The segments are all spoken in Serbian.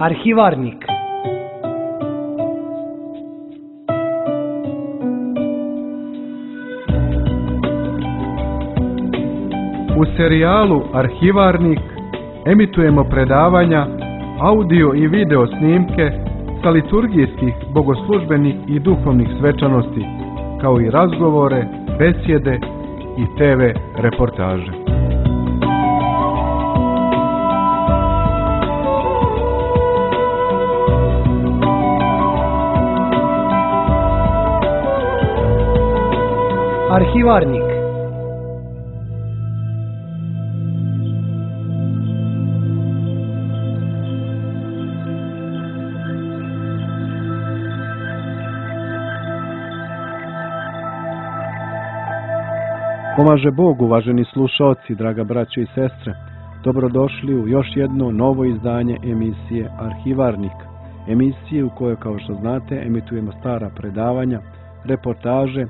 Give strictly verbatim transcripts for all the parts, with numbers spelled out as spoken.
Arhivarnik. U serijalu Arhivarnik emitujemo predavanja, audio i video snimke sa liturgijskih, bogoslužbenih i duhovnih svečanosti, kao i razgovore, besjede i te ve reportaže. Arhivarnik. Pomaže Bog, uvaženi slušaoci, draga braćo i sestre. Dobrodošli u još jedno novo izdanje emisije Arhivarnik. Emisije u kojoj, kao što znate, emitujemo stara predavanja, reportaže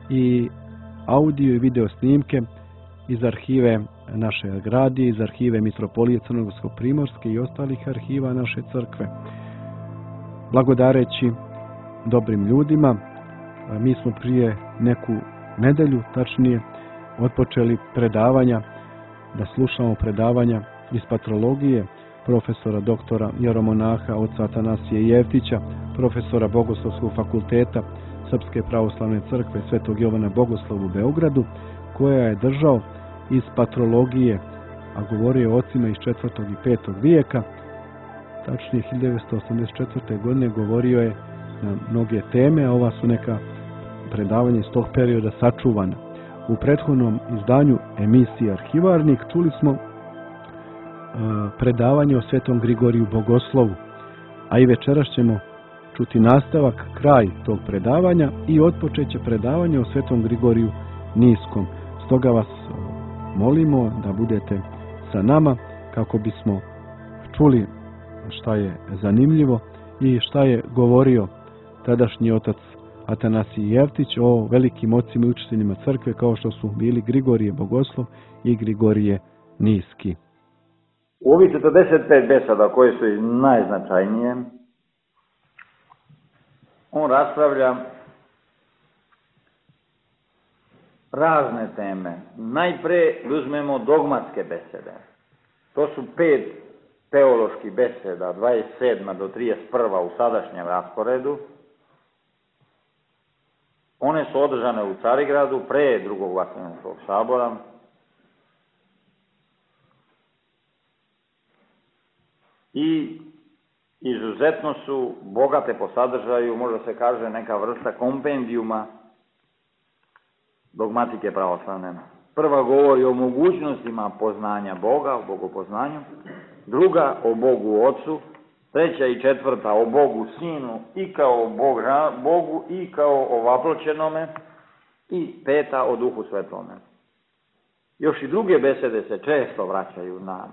i audio i video snimke iz arhive naše gradije, iz arhive Mitropolije Crnogorsko-Primorske i ostalih arhiva naše crkve. Blagodareći dobrim ljudima, mi smo prije neku nedelju, tačnije, otpočeli predavanja, da slušamo predavanja iz patrologije profesora doktora jeromonaha oca Atanasije Jeftića, profesora Bogoslovskog fakulteta Srpske pravoslavne crkve Svetog Jovana Bogoslova u Beogradu, koja je držao iz patrologije, a govorio o ocima iz četvrtog i petog vijeka. Tačnije hiljadu devetsto osamdeset četvrte. godine govorio je na mnoge teme, a ova su neka predavanja iz tog perioda sačuvana. U prethodnom izdanju emisije Arhivarnik čuli smo uh, predavanje o Svetom Grigoriju Bogoslovu, a i večeras ćemo čuti nastavak, kraj tog predavanja i otpočeće predavanje o Svetom Grigoriju Niskom. Stoga vas molimo da budete sa nama kako bismo čuli šta je zanimljivo i šta je govorio tadašnji otac Atanasije Jeftić o velikim ocima i učiteljima crkve kao što su bili Grigorije Bogoslov i Grigorije Niski. U ovih četrdeset pet beseda koje su najznačajnije, on raspravlja razne teme. Najpre uzmemo dogmatske besede. To su pet teoloških beseda, dvadeset sedma do trideset prva u sadašnjem rasporedu. One su održane u Carigradu pre drugog Vatikanskog sabora. I izuzetno su bogate po sadržaju, možda se kaže neka vrsta kompendijuma dogmatike pravoslavne. Prva govori o mogućnostima poznanja Boga, o bogopoznanju, druga o Bogu Ocu, treća i četvrta o Bogu Sinu i kao Bogu i kao ovaploćenome i peta o Duhu Svetome. Još i druge besede se često vraćaju na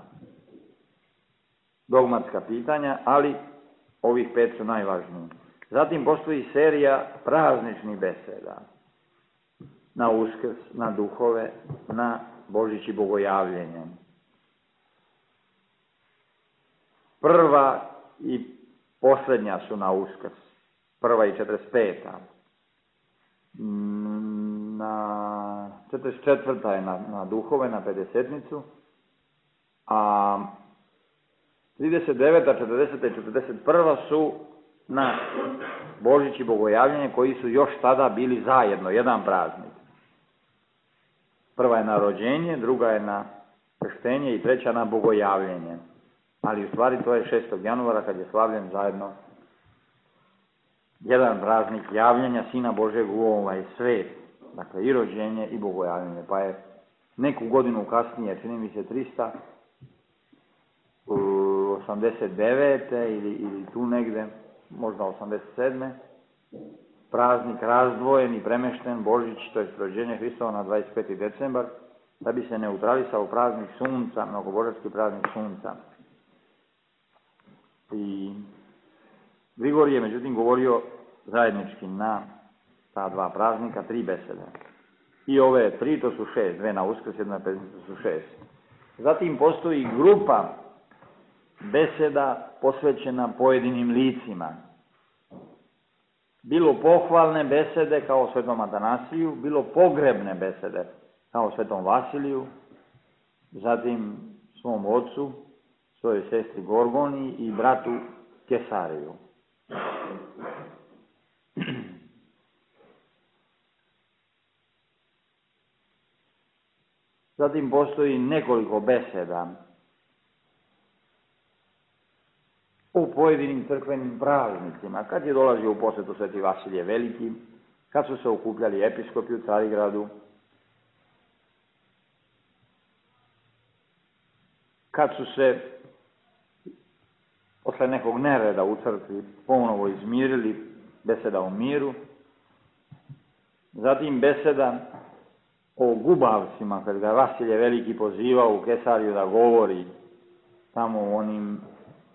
dogmatska pitanja, ali ovih pet su najvažniji. Zatim postoji serija prazničnih beseda na Uskrs, na duhove, na Božić i bogojavljenje. Prva i posljednja su na Uskrs, prva i četrdeset peta. Na četrdeset četvrta je na, na duhove, na pedesetnicu, a trideset deveta, četrdeseta i četrdeset prva su na Božić i bogojavljenje, koji su još tada bili zajedno, jedan praznik. Prva je na rođenje, druga je na krštenje i treća na bogojavljenje. Ali u stvari to je šestog januara kad je slavljen zajedno jedan praznik javljanja Sina Božeg u ovaj svet. Dakle, i rođenje i bogojavljenje. Pa je neku godinu kasnije, čini mi se trista osamdeset devete ili, ili tu negde, možda osamdeset sedme praznik razdvojen i premešten, Božić, to je rođenje Hristova, na dvadeset peti decembar, da bi se neutralisao praznik sunca, mnogobožanski praznik sunca. I Grigorije je međutim govorio zajednički na ta dva praznika, tri besede. I ove tri, to su šest, dve na Uskrs, jedna na Pećnicu, su šest. Zatim postoji grupa beseda posvećena pojedinim licima. Bilo pohvalne besede kao svetom Atanasiju, bilo pogrebne besede kao svetom Vasiliju, zatim svom ocu, svojoj sestri Gorgoni i bratu Kesariju. Zatim postoji nekoliko beseda u pojedinim crkvenim praznicima, kad je dolazio u posjetu sveti Vasilije Veliki, kad su se okupljali episkopi u Carigradu, kad su se posle nekog nereda u crkvi ponovo izmirili, beseda o miru, zatim beseda o gubavcima, kad ga Vasilije Veliki pozivao u Kesariju da govori tamo u onim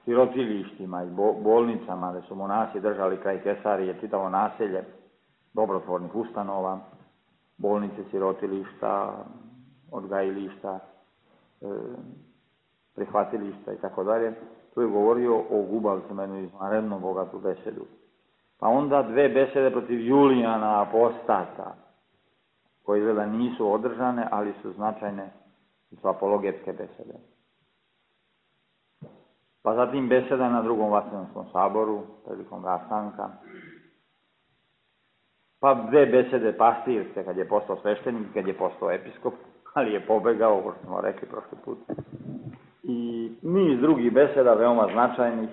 sirotilištima i bolnicama gde su monasi držali kraj Kesarije čitavo naselje dobrotvornih ustanova, bolnice, sirotilišta, odgajilišta, e, prihvatilišta i tako dalje. Tu je govorio o gubavcima, jednu izvanredno bogatu besedu. Pa onda dve besede protiv Julijana Apostata, koje izgleda nisu održane, ali su značajne, su apologetske besede. Pa zatim beseda na drugom Vaseljanskom saboru, prilikom rastanka. Pa dve besede pastirske, kad je postao sveštenik, kad je postao episkop, ali je pobegao, kao što smo rekli prošli put. I niz drugih beseda, veoma značajnih,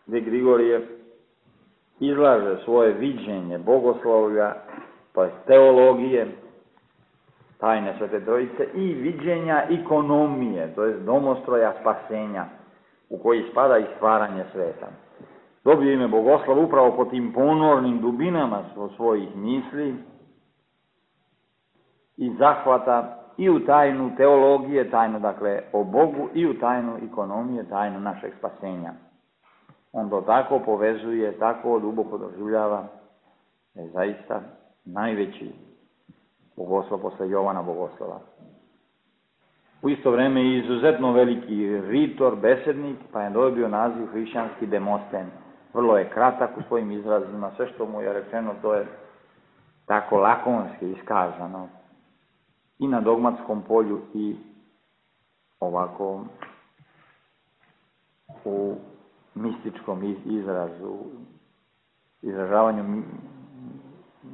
gdje Grigorije izlaže svoje viđenje bogoslovlja, to je teologije, tajne Svete Trojice i viđenja ekonomije, to je domostroja spasenja, u koji spada i stvaranje sveta. Dobio ime bogoslov upravo po tim ponornim dubinama svojih misli i zahvata i u tajnu teologije, tajnu dakle o Bogu, i u tajnu ekonomije, tajnu našeg spasenja. On to tako povezuje, tako duboko doživljava, da je zaista najveći bogoslov posle Jovana Bogoslova. U isto vreme i izuzetno veliki ritor, besednik, pa je dobio naziv hrišćanski Demosten. Vrlo je kratak u svojim izrazima, sve što mu je rečeno to je tako lakonski iskazano. I na dogmatskom polju i ovako u mističkom izrazu, izražavanju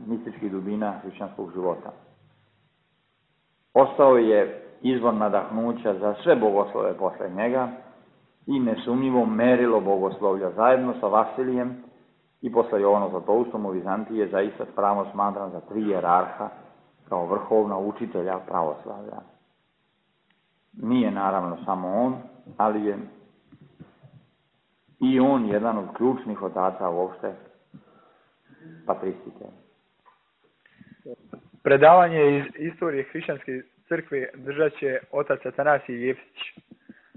mističkih dubina hrišćanskog života. Ostao je izvor nadahnuća za sve bogoslove posle njega i nesumnjivo merilo bogoslovlja zajedno sa Vasilijem i posle Jovana Zlatoustom u Vizantiji je zaista pravno smatran za tri jerarha kao vrhovna učitelja pravoslavlja. Nije naravno samo on, ali je i on jedan od ključnih otaca uopšte patristike. Predavanje iz istorije hrišćanske crkve držat će otac Atanasij Jeftić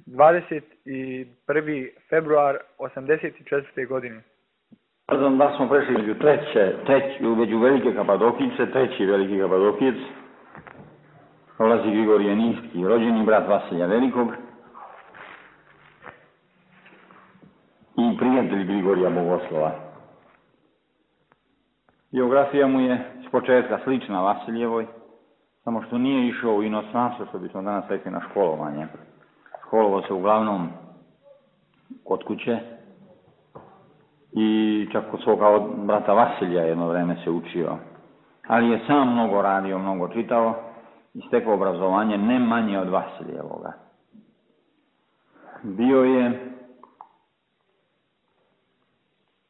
dvadeset prvi februar osamdeset četvrte. godine. Pardon, da smo prešli među treće, treći, među velike Kapadokice, treći veliki Kapadokijec, dolazi Grigorije Ninski, rođeni brat Vasilija Velikog i prijatelj Grigorija Bogoslova. Biografija mu je s početka slična Vasilijevoj, samo što nije išao u inostranstvo, što bismo danas rekli, na školovanje. Školovao se uglavnom kod kuće i čak kod svoga brata Vasilija jedno vreme se učio. Ali je sam mnogo radio, mnogo čitao i stekao obrazovanje ne manje od Vasilijevoga. Bio je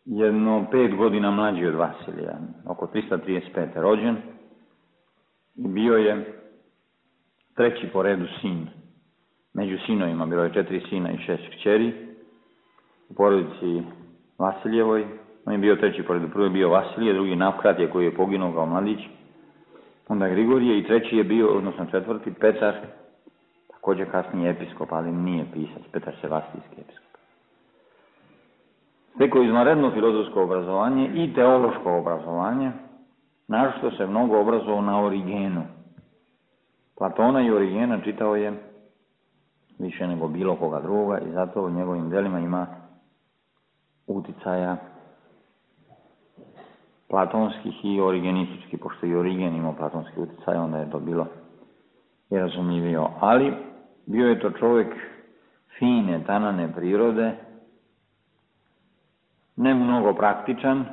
jedno pet godina mlađi od Vasilija, oko trista trideset pete. rođen, i bio je treći po redu sin. Među sinovima bilo je četiri sina i šest kćeri. U porodici Vasilijevoj, on je bio treći po redu. Prvo je bio Vasilije, drugi Navkratije koji je poginuo kao mladić, onda Grigorije i treći je bio, odnosno četvrti, Petar, također kasnije episkop, ali nije pisac, Petar Sevastijski episkop. Stekao izvanredno filozofsko obrazovanje i teološko obrazovanje, naročito se mnogo obrazovao na Origenu. Platona i Origena čitao je više nego bilo koga druga i zato u njegovim delima ima uticaja platonskih i origenističkih, pošto i Origen imao platonski uticaj, onda je to bilo i razumljivio. Ali bio je to čovjek fine, tanane prirode, ne mnogo praktičan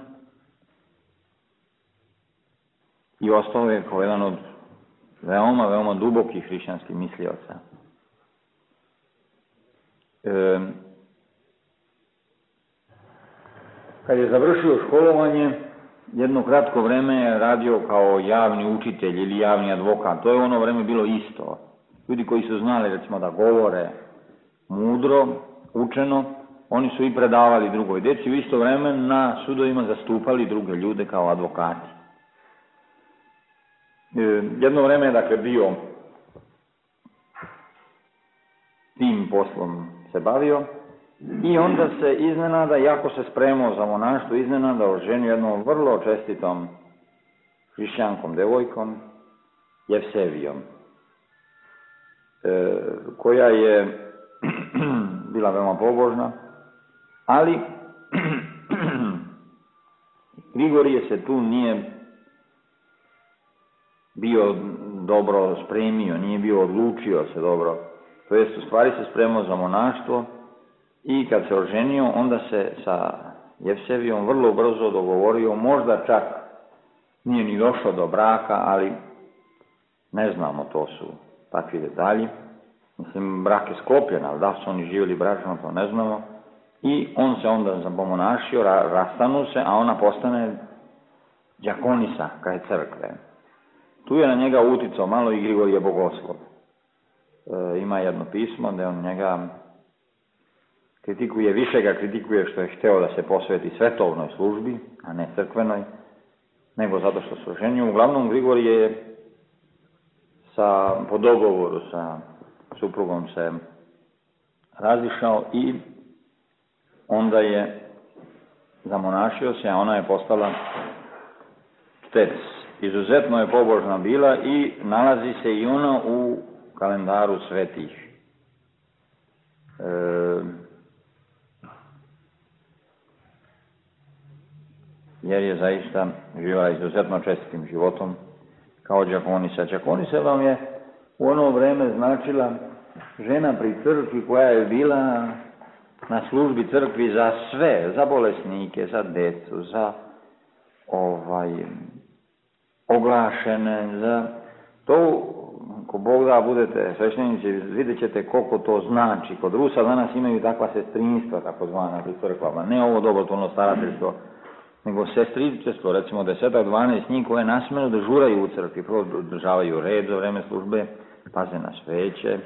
i ostao je kao jedan od veoma, veoma dubokih hrišćanskih mislioca. E, kad je završio školovanje, jedno kratko vreme je radio kao javni učitelj ili javni advokat. To je u ono vreme bilo isto. Ljudi koji su znali, recimo, da govore mudro, učeno, oni su i predavali drugoj deci, u isto vreme na sudovima zastupali druge ljude kao advokati. E, jedno vreme je, dakle, bio tim poslom se bavio i onda se iznenada, jako se spremao za monaštvo, iznenada oženio jednom vrlo čestitom hrišćankom devojkom, Jevsevijom, e, koja je bila veoma pobožna, ali Grigorije se tu nije bio dobro spremio, nije bio odlučio se dobro, to jest u stvari se spremao za monaštvo i kad se oženio, onda se sa Jevsevijom vrlo brzo dogovorio, možda čak nije ni došlo do braka, ali ne znamo, to su takvi detalji. Mislim, brak je sklopljen, ali da su oni živjeli bračno, to ne znamo. I on se onda zapomonašio, ra, rastanu se, a ona postane đakonisa kraj crkve. Tu je na njega uticao malo i Grigorije Bogoslov. E, ima jedno pismo gde on njega kritikuje, više ga kritikuje što je hteo da se posveti svetovnoj službi, a ne crkvenoj, nego zato što se oženio. Uglavnom, Grigorije je sa, po dogovoru sa suprugom se razišao i onda je zamonašio se, a ona je postala štec. Izuzetno je pobožna bila i nalazi se i ona u kalendaru svetih. E, jer je zaista živjela izuzetno čestitim životom kao đakonisa. Đakonisa vam je u ono vreme značila žena pri crkvi koja je bila na službi crkvi za sve, za bolesnike, za decu, za ovaj, oglašene, za to, ko Bog da budete sveštenici, vidjet ćete koliko to znači. Kod Rusa danas imaju takva sestrinstva, tako zvana, pri crkvama, ne ovo dobrotvorno starateljstvo, nego sestričestvo, recimo desetak, dvanaest njih koje nasmeno dežuraju u crkvi, prvo održavaju red za vreme službe, paze na sveće, e,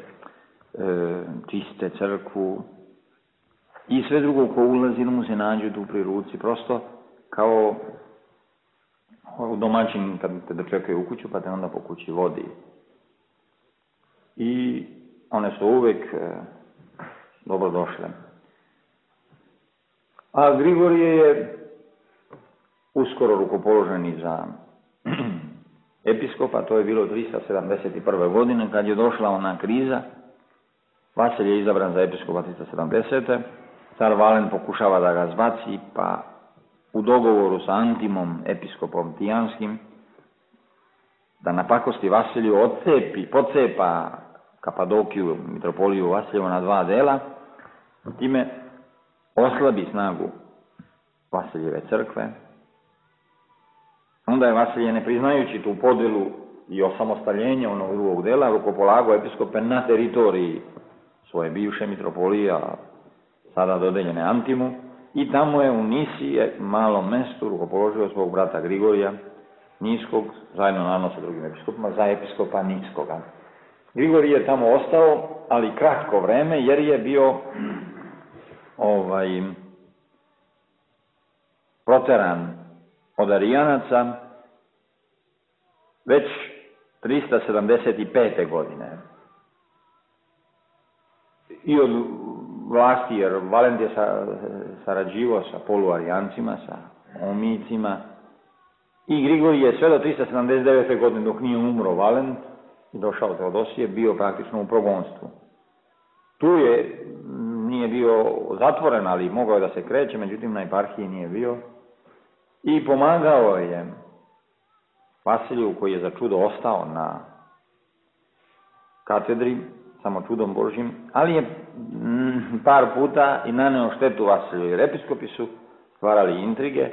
čiste crkvu i sve drugo ko ulazi da mu se nađe tu pri ruci, prosto kao u domaćin kad te dočekaju u kuću pa te onda po kući vodi. I one su uvek e, dobrodošle. A Grigorije je uskoro rukopoložen i za episkopa, to je bilo trista sedamdeset prve. godine, kad je došla ona kriza. Vasilij je izabran za episkopa trista sedamdesete. Car Valen pokušava da ga zbaci, pa u dogovoru sa Antimom, episkopom Tijanskim, da napakosti Vasiliju odcepi, pocepa Kapadokiju, mitropoliju Vasilijevu na dva dela, time oslabi snagu Vasilijeve crkve. Onda je Vasilije, ne priznajući tu podelu i osamostaljenje onog drugog dela, rukopolagao episkope na teritoriji svoje bivše mitropolije, a sada dodeljene Antimu, i tamo je u Nisije, malom mestu, rukopoložio svog brata Grigorija Niskog, zajedno naravno sa drugim episkopima, za episkopa Niskoga. Grigorij je tamo ostao, ali kratko vreme, jer je bio ovaj, proteran od Arijanaca već trista sedamdeset pete. godine. I od vlasti, jer Valent je sarađivao sa poluarijancima, sa omijicima, i Grigorij je sve do trista sedamdeset devete. godine, dok nije umro Valent i došao Teodosije, bio praktično u progonstvu. Tu je, nije bio zatvoren, ali mogao je da se kreće, međutim na eparhiji nije bio. I pomagao je Vasiliju, koji je za čudo ostao na katedri, samo čudom Božjim, ali je mm, par puta i naneo štetu Vasiliju, jer episkopi su stvarali intrige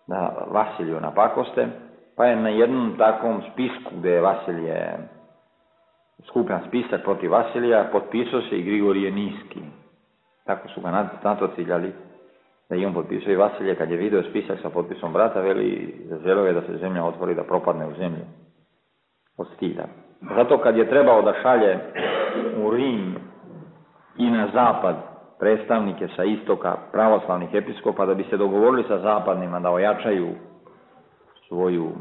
da Vasiliju napakoste, pa je na jednom takvom spisku gde je Vasilije skupljan spisak protiv Vasilija, potpisao se i Grigorije Niski. Tako su ga na to ciljali, da i on potpisao i Vasilije, kad je video spisak sa potpisom brata, veli, želeo je da se zemlja otvori, da propadne u zemlju od stida. Zato kad je trebao da šalje u Rim i na zapad predstavnike sa istoka pravoslavnih episkopa, da bi se dogovorili sa zapadnima da ojačaju svoju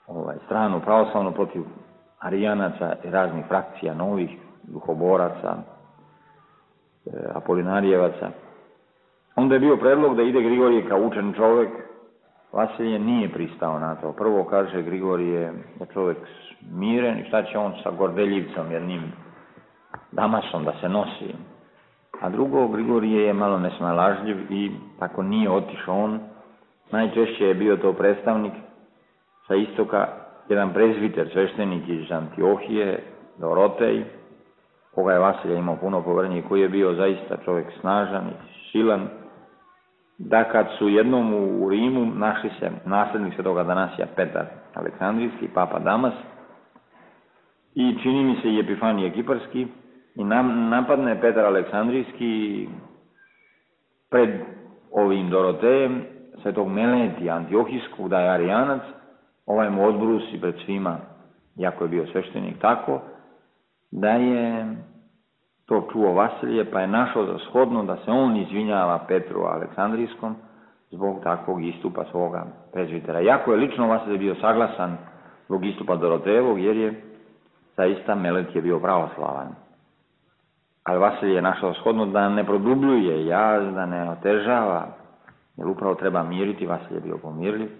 ovaj, stranu pravoslavnu protiv arijanaca i raznih frakcija, novih duhoboraca, e, apolinarijevaca. Onda je bio predlog da ide Grigorije kao učen čovek. Vasilije nije pristao na to. Prvo kaže Grigorije da čovek miren i šta će on sa gordeljivcom jednim Damasom da se nosi. A drugo, Grigorije je malo nesnalažljiv i tako nije otišao on. Najčešće je bio to predstavnik sa istoka, jedan prezviter, sveštenik iz Antiohije, Dorotej, koga je Vasilije imao puno poverenja i koji je bio zaista čovjek snažan i silan, da kad su jednom u Rimu našli se naslednik svetoga Danasija Petar Aleksandrijski, papa Damas, i čini mi se i Epifanije Kiparski, i nam, napadne Petar Aleksandrijski pred ovim Dorotejem, svetog Meletija Antiohijskog, da je arijanac, ovaj mu odbrusi pred svima, jako je bio sveštenik, tako da je to čuo Vasilije, pa je našao za shodno da se on izvinjava Petru Aleksandrijskom zbog takvog istupa svoga prezvitera. Jako je lično Vasilije bio saglasan zbog istupa Dorotejevog, jer je zaista Melet je bio pravoslavan. Ali Vasilije je našao shodno da ne produbljuje jaz, da ne otežava, jer upravo treba miriti. Vasilije je bio pomirljiv.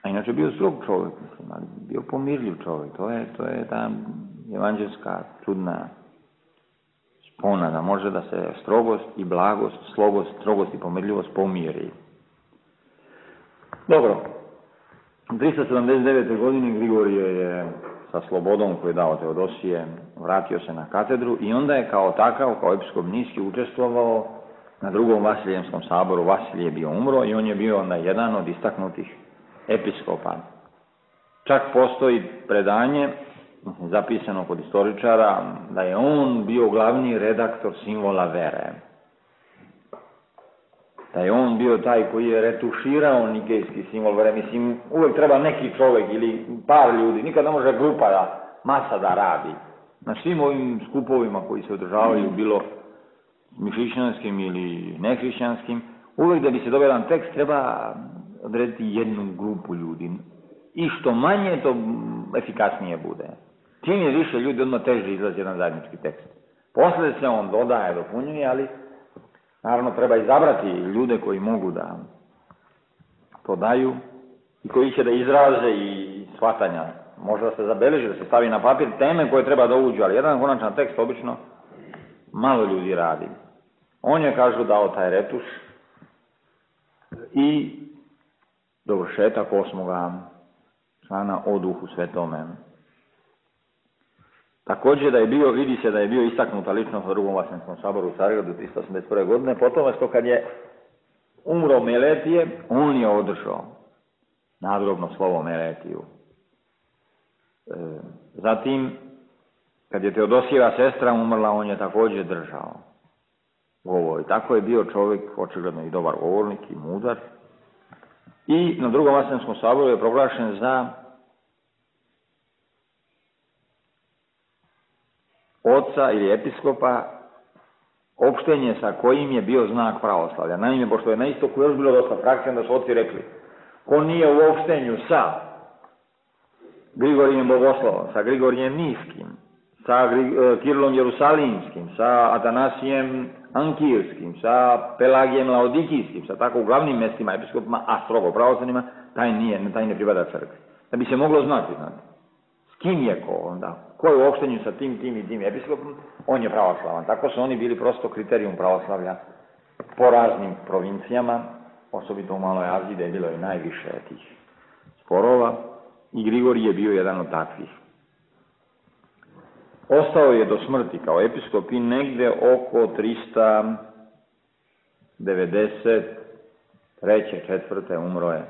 A inače bio strog čovjek, mislim, ali bio pomirljiv čovjek. To je, to je ta evanđelska čudna spona, da može da se strogost i blagost, slogost, strogost i pomirljivost pomiri. Dobro, u tristo sedamdeset devete. godine Grigorije je sa slobodom koju je dao Teodosije vratio se na katedru i onda je kao takav, kao episkop Niski, učestvovao na drugom Vasilijemskom saboru. Vasilije je bio umro i on je bio onda jedan od istaknutih episkopa. Čak postoji predanje, zapisano kod istoričara, da je on bio glavni redaktor simbola vere. Da je on bio taj koji je retuširao nikejski simbol vere. Mislim, uvek treba neki čovek ili par ljudi, nikad ne može grupa da, masa da radi. Na svim ovim skupovima koji se održavaju, bilo hrišćanskim ili nehrišćanskim, uvek da bi se dobio jedan tekst treba odrediti jednu grupu ljudi. I što manje, to efikasnije bude. Čim je više ljudi, odmah teže izlazi jedan zajednički tekst. Posle se on dodaje, dopunjuje, ali naravno treba izabrati ljude koji mogu da to daju i koji će da izraze i shvatanja. Može da se zabeleži, da se stavi na papir teme koje treba da uđu, ali jedan konačan tekst obično malo ljudi radi. On je, kažu, dao taj retuš i dovršetak osmoga člana o Duhu Svetome. Također da je bio, vidi se da je bio istaknuta ličnost u drugom Vasilijemskom saboru u Carigradu tristo osamdeset prve. godine, potom što kad je umro Meletije, on je održao nadgrobno slovo Meletiju. E, zatim, kad je Teodosijeva sestra umrla, on je također držao govor. I tako je bio čovjek, očigledno i dobar govornik i mudar. I na drugom Vasilijemskom saboru je proglašen za oca ili episkopa, opštenje sa kojim je bio znak pravoslavlja. Naime, pošto je na istoku još bilo dosta frakcija, da su oci rekli, ko nije u opštenju sa Grigorijem Bogoslovom, sa Grigorijem Niskim, sa Kirilom Jerusalimskim, sa Atanasijem Ankirskim, sa Pelagijem Laodikijskim, sa tako uglavnim mestima episkopima, a strogo pravoslavnima, taj nije, taj ne pripada crkvi. Da bi se moglo znati, znati, s kim je ko onda, ko je u opštenju sa tim, tim i tim episkopom, on je pravoslavan. Tako su oni bili prosto kriterijum pravoslavlja po raznim provincijama, osobito u Maloj Aziji, gde je bilo i najviše tih sporova, i Grigorij je bio jedan od takvih. Ostao je do smrti kao episkop i negde oko trista devedeset treće četvrte umro je.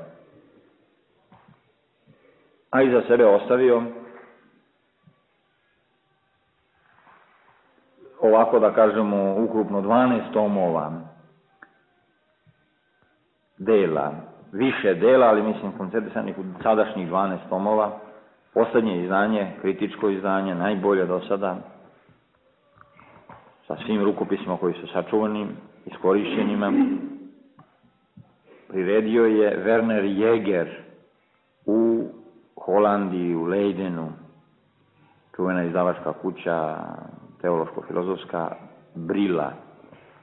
A iza sebe ostavio, ovako da kažemo, ukrupno dvanaest tomova dela, više dela, ali mislim koncentrisanih u sadašnjih dvanaest tomova. Poslednje izdanje, kritičko izdanje, najbolje do sada, sa svim rukopisima koji su sačuvani, iskorišćenima, priredio je Werner Jäger u Holandiji, u Leidenu, čuvena izdavačka kuća, teološko-filozofska, Brila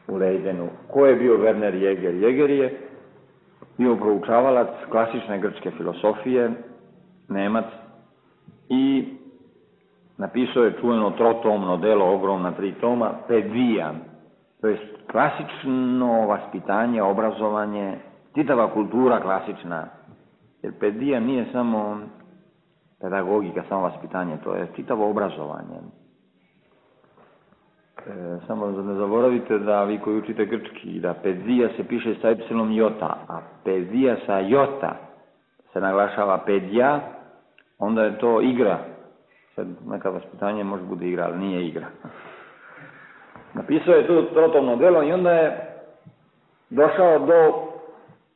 u Leidenu. Ko je bio Werner Jäger? Jäger je bio proučavalac klasične grčke filosofije, Nemac, i napisao je čuveno trotomno delo, ogromna tri toma, Pedija, to je klasično vaspitanje, obrazovanje, čitava kultura klasična, jer pedija nije samo pedagogika, samo vaspitanje, to je čitavo obrazovanje. E, samo ne zaboravite da vi koji učite grčki, da pedija se piše sa epsilon jota, a pedija sa jota se naglašava pedija, onda je to igra. Sad neka vaspitanje može bude igra, ali nije igra. Napisao je tu trotomno delo i onda je došao do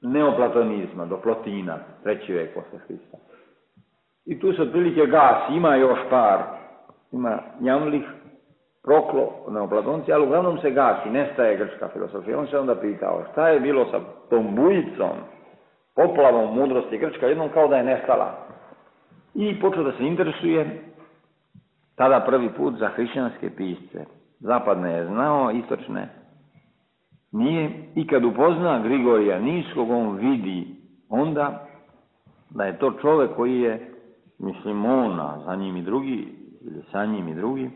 neoplatonizma, do Plotina, treći vek posle Hrista. I tu se otprilike gasi, ima još par, ima Jamlih, Proklo, neoplatonci, ali uglavnom se gasi, nestaje grčka filosofija. On se onda pitao šta je bilo sa tom bujicom, poplavom mudrosti grčka, jednom kao da je nestala. I počeo da se interesuje, tada prvi put, za hrišćanske pisce. Zapadne je znao, istočne nije. I kad upozna Grigorija Niskog, on vidi onda da je to čovek koji je, mislim, ona, za njim i drugi, ili sa njim i drugi,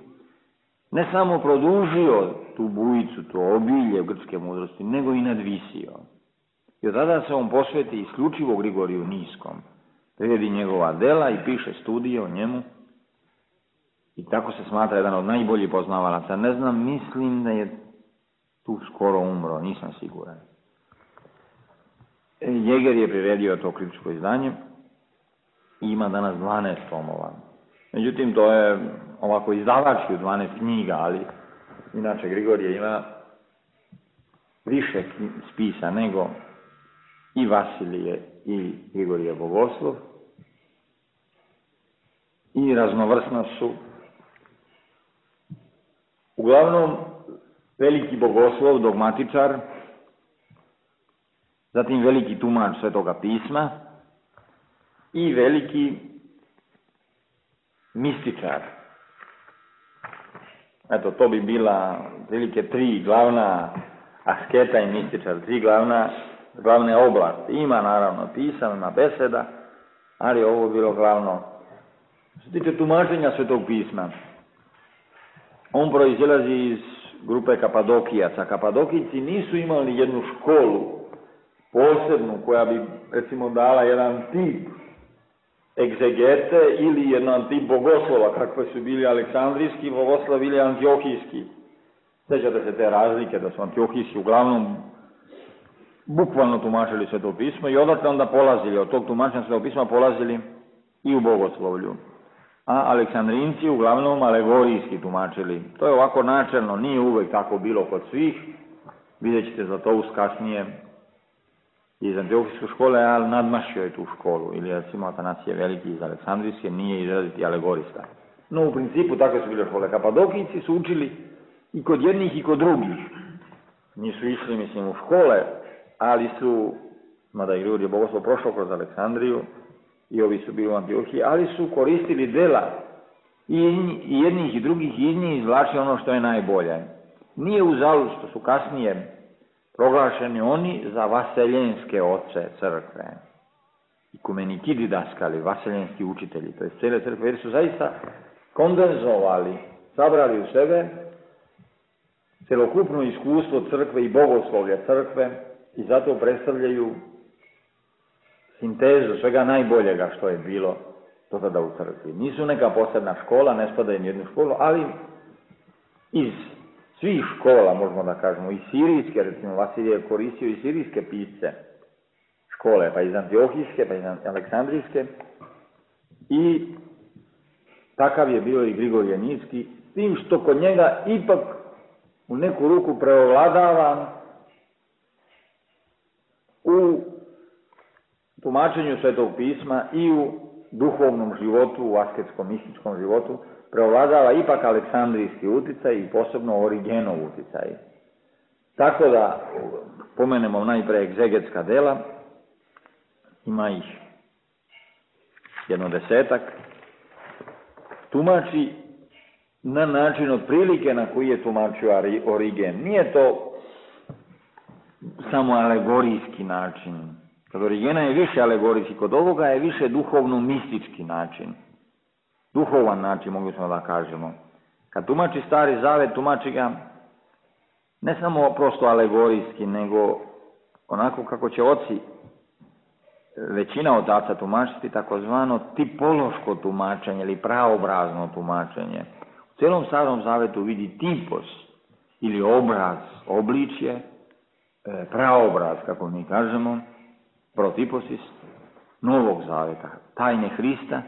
ne samo produžio tu bujicu, to obilje grčke mudrosti, nego i nadvisio. I od tada se on posveti isključivo Grigoriju Niskom. Prevedi njegova dela i piše studije o njemu. I tako se smatra jedan od najboljih poznavalaca. Ne znam, mislim da je tu skoro umro, nisam siguran. Jäger je priredio to kritičko izdanje i ima danas dvanaest tomova. Međutim, to je ovako izdavački u dvanaest knjiga, ali inače Grigorije ima više spisa nego i Vasilije i Grigorije Bogoslov, i raznovrsna su. Uglavnom, veliki bogoslov, dogmatičar, zatim veliki tumač Svetoga pisma i veliki mističar. Eto, to bi bila prilike tri glavna asketa i mističar, tri glavna, glavne oblasti. Ima naravno pisana beseda, ali ovo je bilo glavno. Što se tiče tumačenja Svetog pisma, on proizilazi iz grupe Kapadokijaca. Kapadokijci nisu imali jednu školu posebnu koja bi, recimo, dala jedan tip egzegete ili jedan tip bogoslova, kakve su bili Aleksandrijski bogoslov ili Antiohijski. Sećate se te razlike, da su Antiohijski uglavnom bukvalno tumačili Sveto pismo i odatle onda polazili, od tog tumačenja Svetog pisma polazili i u bogoslovlju. A Aleksandrinci uglavnom alegorijski tumačili. To je ovako načelno, nije uvek tako bilo kod svih. Vidjet ćete za to kasnije iz Antiohijske škole, ali nadmašio je tu školu. Ili recimo Atanasije Veliki iz Aleksandrijske nije izraziti alegorista. No u principu takve su bile škole. Kapadokijci su učili i kod jednih i kod drugih. Nisu išli, mislim, u škole, ali su, mada i Grigorije Bogoslov prošao kroz Aleksandriju, i ovi su bili u Antiohiji, ali su koristili dela i jednih i drugih i iz njih izvlačili ono što je najbolje. Nije uzalud što su kasnije proglašeni oni za vaseljenske oce crkve. ikumeniki didaskali, vaseljenski učitelji, to je cijele crkve, jer su zaista kondenzovali, sabrali u sebe celokupno iskustvo crkve i bogoslovlja crkve i zato predstavljaju sintezu svega najboljega što je bilo do tada u crkvi. Nisu neka posebna škola, ne spadaju ni jednu školu, ali iz svih škola, možemo da kažemo, i sirijske, recimo Vasilije je koristio i sirijske pisce škole, pa iz Antiohijske, pa iz Aleksandrijske, i takav je bio i Grigorije Niski, s tim što kod njega ipak u neku ruku preovladava u tumačenju Svetog pisma i u duhovnom životu, u asketskom, mističkom životu, preovladava ipak aleksandrijski uticaj i posebno Origenov uticaj. Tako da pomenemo najpre egzegetska dela, ima ih jedno desetak, tumači na način otprilike na koji je tumačio Origen. Nije to samo alegorijski način. Kod Origena je više alegorijski, kod ovoga je više duhovno-mistički način. Duhovan način, mogu smo da kažemo. Kad tumači Stari Zavet, tumači ga ne samo prosto alegorijski, nego onako kako će oci, većina otaca tumačiti, takozvano tipološko tumačenje ili praobrazno tumačenje. U cijelom Starom Zavetu vidi tipos ili obraz, obličje, praobraz, kako mi kažemo, protiposis Novog Zaveta, tajne Hrista.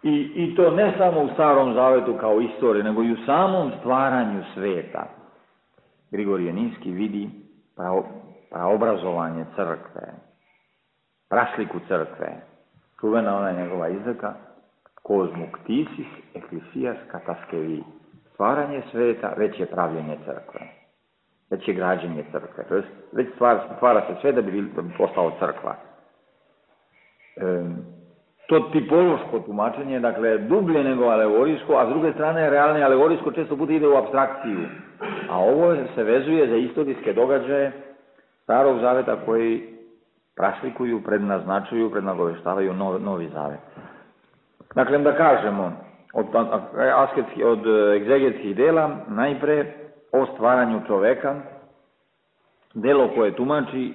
I, I to ne samo u Starom Zavetu kao istoriji, nego i u samom stvaranju sveta. Grigorije Niski vidi prao, praobrazovanje crkve, prasliku crkve. Čuvena ona njegova izreka, kozmuktisis ecclesias kataskevi. Stvaranje sveta, već je pravljenje crkve. Već je građenje crkve. To jest, već stvara, stvara se sve da bi, da bi postao crkva. E, to tipološko tumačenje, dakle, dublje nego alegorijsko, a s druge strane, realno alegorijsko često puta ide u apstrakciju. A ovo se vezuje za istorijske događaje Starog Zaveta koji praslikuju, prednaznačuju, prednagoveštavaju novi, novi Zavet. Dakle, da kažemo, od, asketski, od egzegetskih dela, najpre o stvaranju čoveka, delo koje tumači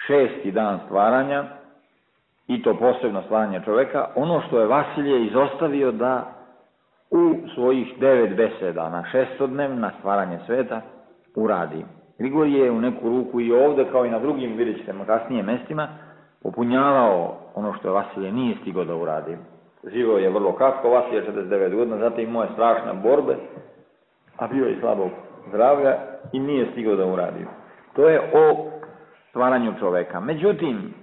šesti dan stvaranja, i to posebno stvaranje čoveka, ono što je Vasilije izostavio da u svojih devet beseda na šestodnevna stvaranje sveta uradi. Grigorije je u neku ruku i ovde, kao i na drugim, vidjet ćete kasnije mestima, popunjavao ono što je Vasilije nije stigao da uradi. Živio je vrlo kratko, Vasilije četrdeset devet godina, zatim imao je strašne borbe, a bio je slabog zdravlja i nije stigao da uradi. To je o stvaranju čoveka. Međutim,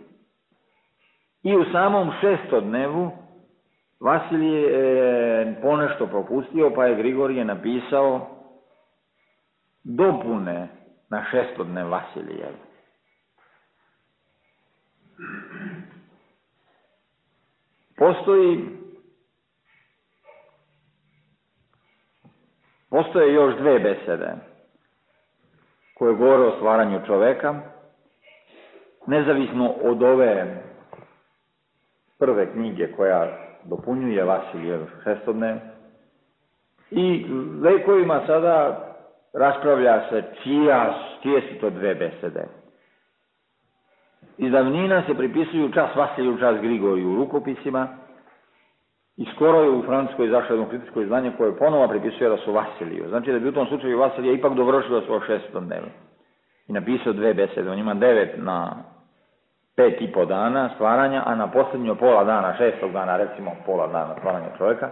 i u samom šestodnevu Vasilije je ponešto propustio, pa je Grigorije napisao dopune na šestodnev Vasilije. Postoji postoje još dve besede koje govore o stvaranju čoveka, nezavisno od ove prve knjige koja dopunjuje Vasilijev šestodnev, i vekovima sada raspravlja se čija, čije su to dve besede. Iz davnina se pripisuju čas Vasiliju, čas Grigoriju u rukopisima, i skoro je u Francuskoj izašlo jedno kritičko izdanje koje ponovo pripisuje da su Vasiliju. Znači da bi u tom slučaju Vasilije ipak dovršio svoj šestodnev i napisao dve besede. On ima devet na pet i po dana stvaranja, a na posljednjo pola dana, šestog dana, recimo pola dana stvaranja čovjeka,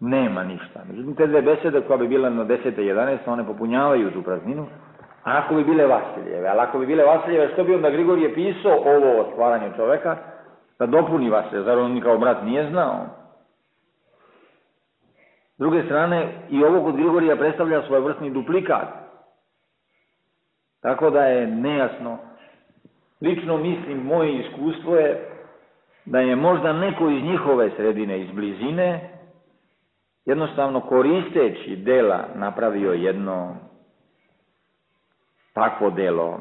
nema ništa. Međutim, te dve besede koja bi bile na desete i jedanaeste, one popunjavaju tu prazninu, a ako bi bile Vasilijeve, ali ako bi bile Vasilijeve, što bi onda Grigorije pisao ovo o stvaranju čovjeka, da dopuni Vasilije, zar on kao brat nije znao? S druge strane, i ovo kod Grigorija predstavlja svoj vrstni duplikat. Tako da je nejasno. Lično mislim, moje iskustvo je da je možda neko iz njihove sredine, iz blizine, jednostavno koristeći dela napravio jedno takvo delo,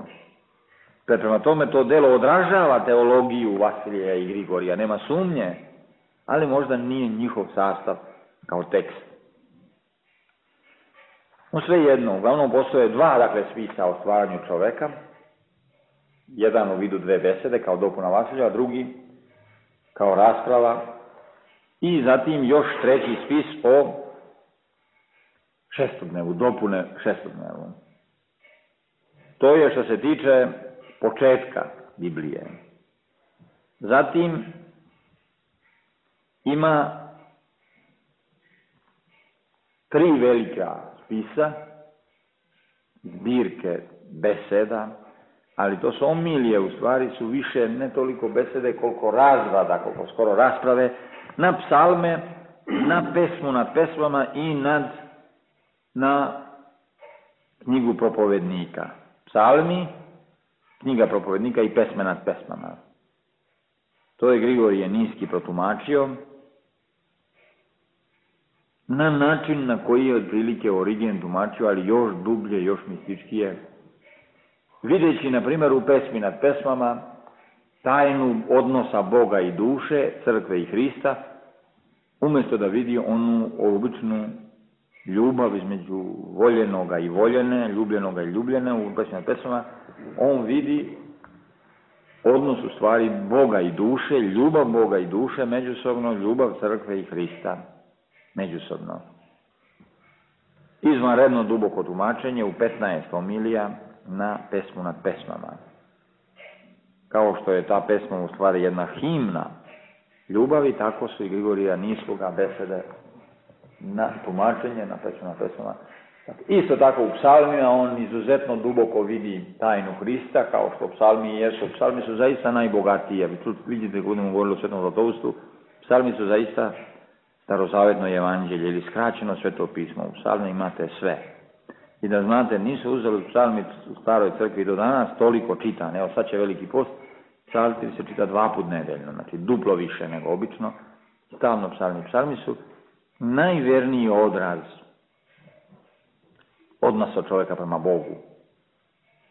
Prema tome to delo odražava teologiju Vasilija i Grigorija, nema sumnje, ali možda nije njihov sastav kao tekst. No sve jedno, uglavnom postoje dva, dakle, spisa o stvaranju čoveka, jedan u vidu dve besede kao dopuna Vasilja, a drugi kao rasprava, i zatim još treći spis o šestodnevu, dopune šestodnevu. To je što se tiče početka Biblije. Zatim ima tri velika spisa, zbirke beseda, ali to su omilije, u stvari su više ne toliko besede koliko razrada, koliko skoro rasprave, na psalme, na pesmu nad pesmama i nad, na knjigu propovednika. Psalmi, knjiga propovednika i pesme nad pesmama. To je Grigorije Niski protumačio na način na koji je otprilike Origen tumačio, ali još dublje, još mističkije. Videći, na primjer, u pesmi nad pesmama tajnu odnosa Boga i duše, crkve i Hrista, umjesto da vidi onu običnu ljubav između voljenoga i voljene, ljubljenoga i ljubljene u pesmi nad pesmama, on vidi odnos u stvari Boga i duše, ljubav Boga i duše međusobno, ljubav crkve i Hrista međusobno. Izvanredno duboko tumačenje u petnaest homilija na pesmu nad pesmama. Kao što je ta pesma u stvari jedna himna ljubavi, tako su i Grigorija Niskoga besede na tumačenje, na pesmu nad pesmama. Isto tako u psalmima on izuzetno duboko vidi tajnu Hrista, kao što psalmi jesu. Psalmi su zaista najbogatije. Vidite, kad budemo govorili o Svetom Zlatovstvu, psalmi su zaista starozavetno evanđelje ili skraćeno Sveto pismo. U psalmi imate sve. I da znate, nisu uzeli psalmi u staroj crkvi do danas toliko čitan. Evo sad će Veliki post, psalmi se čita dva put nedeljno, znači duplo više nego obično. Stalno psalmi. Psalmi su najverniji odraz odnosa čovjeka prema Bogu.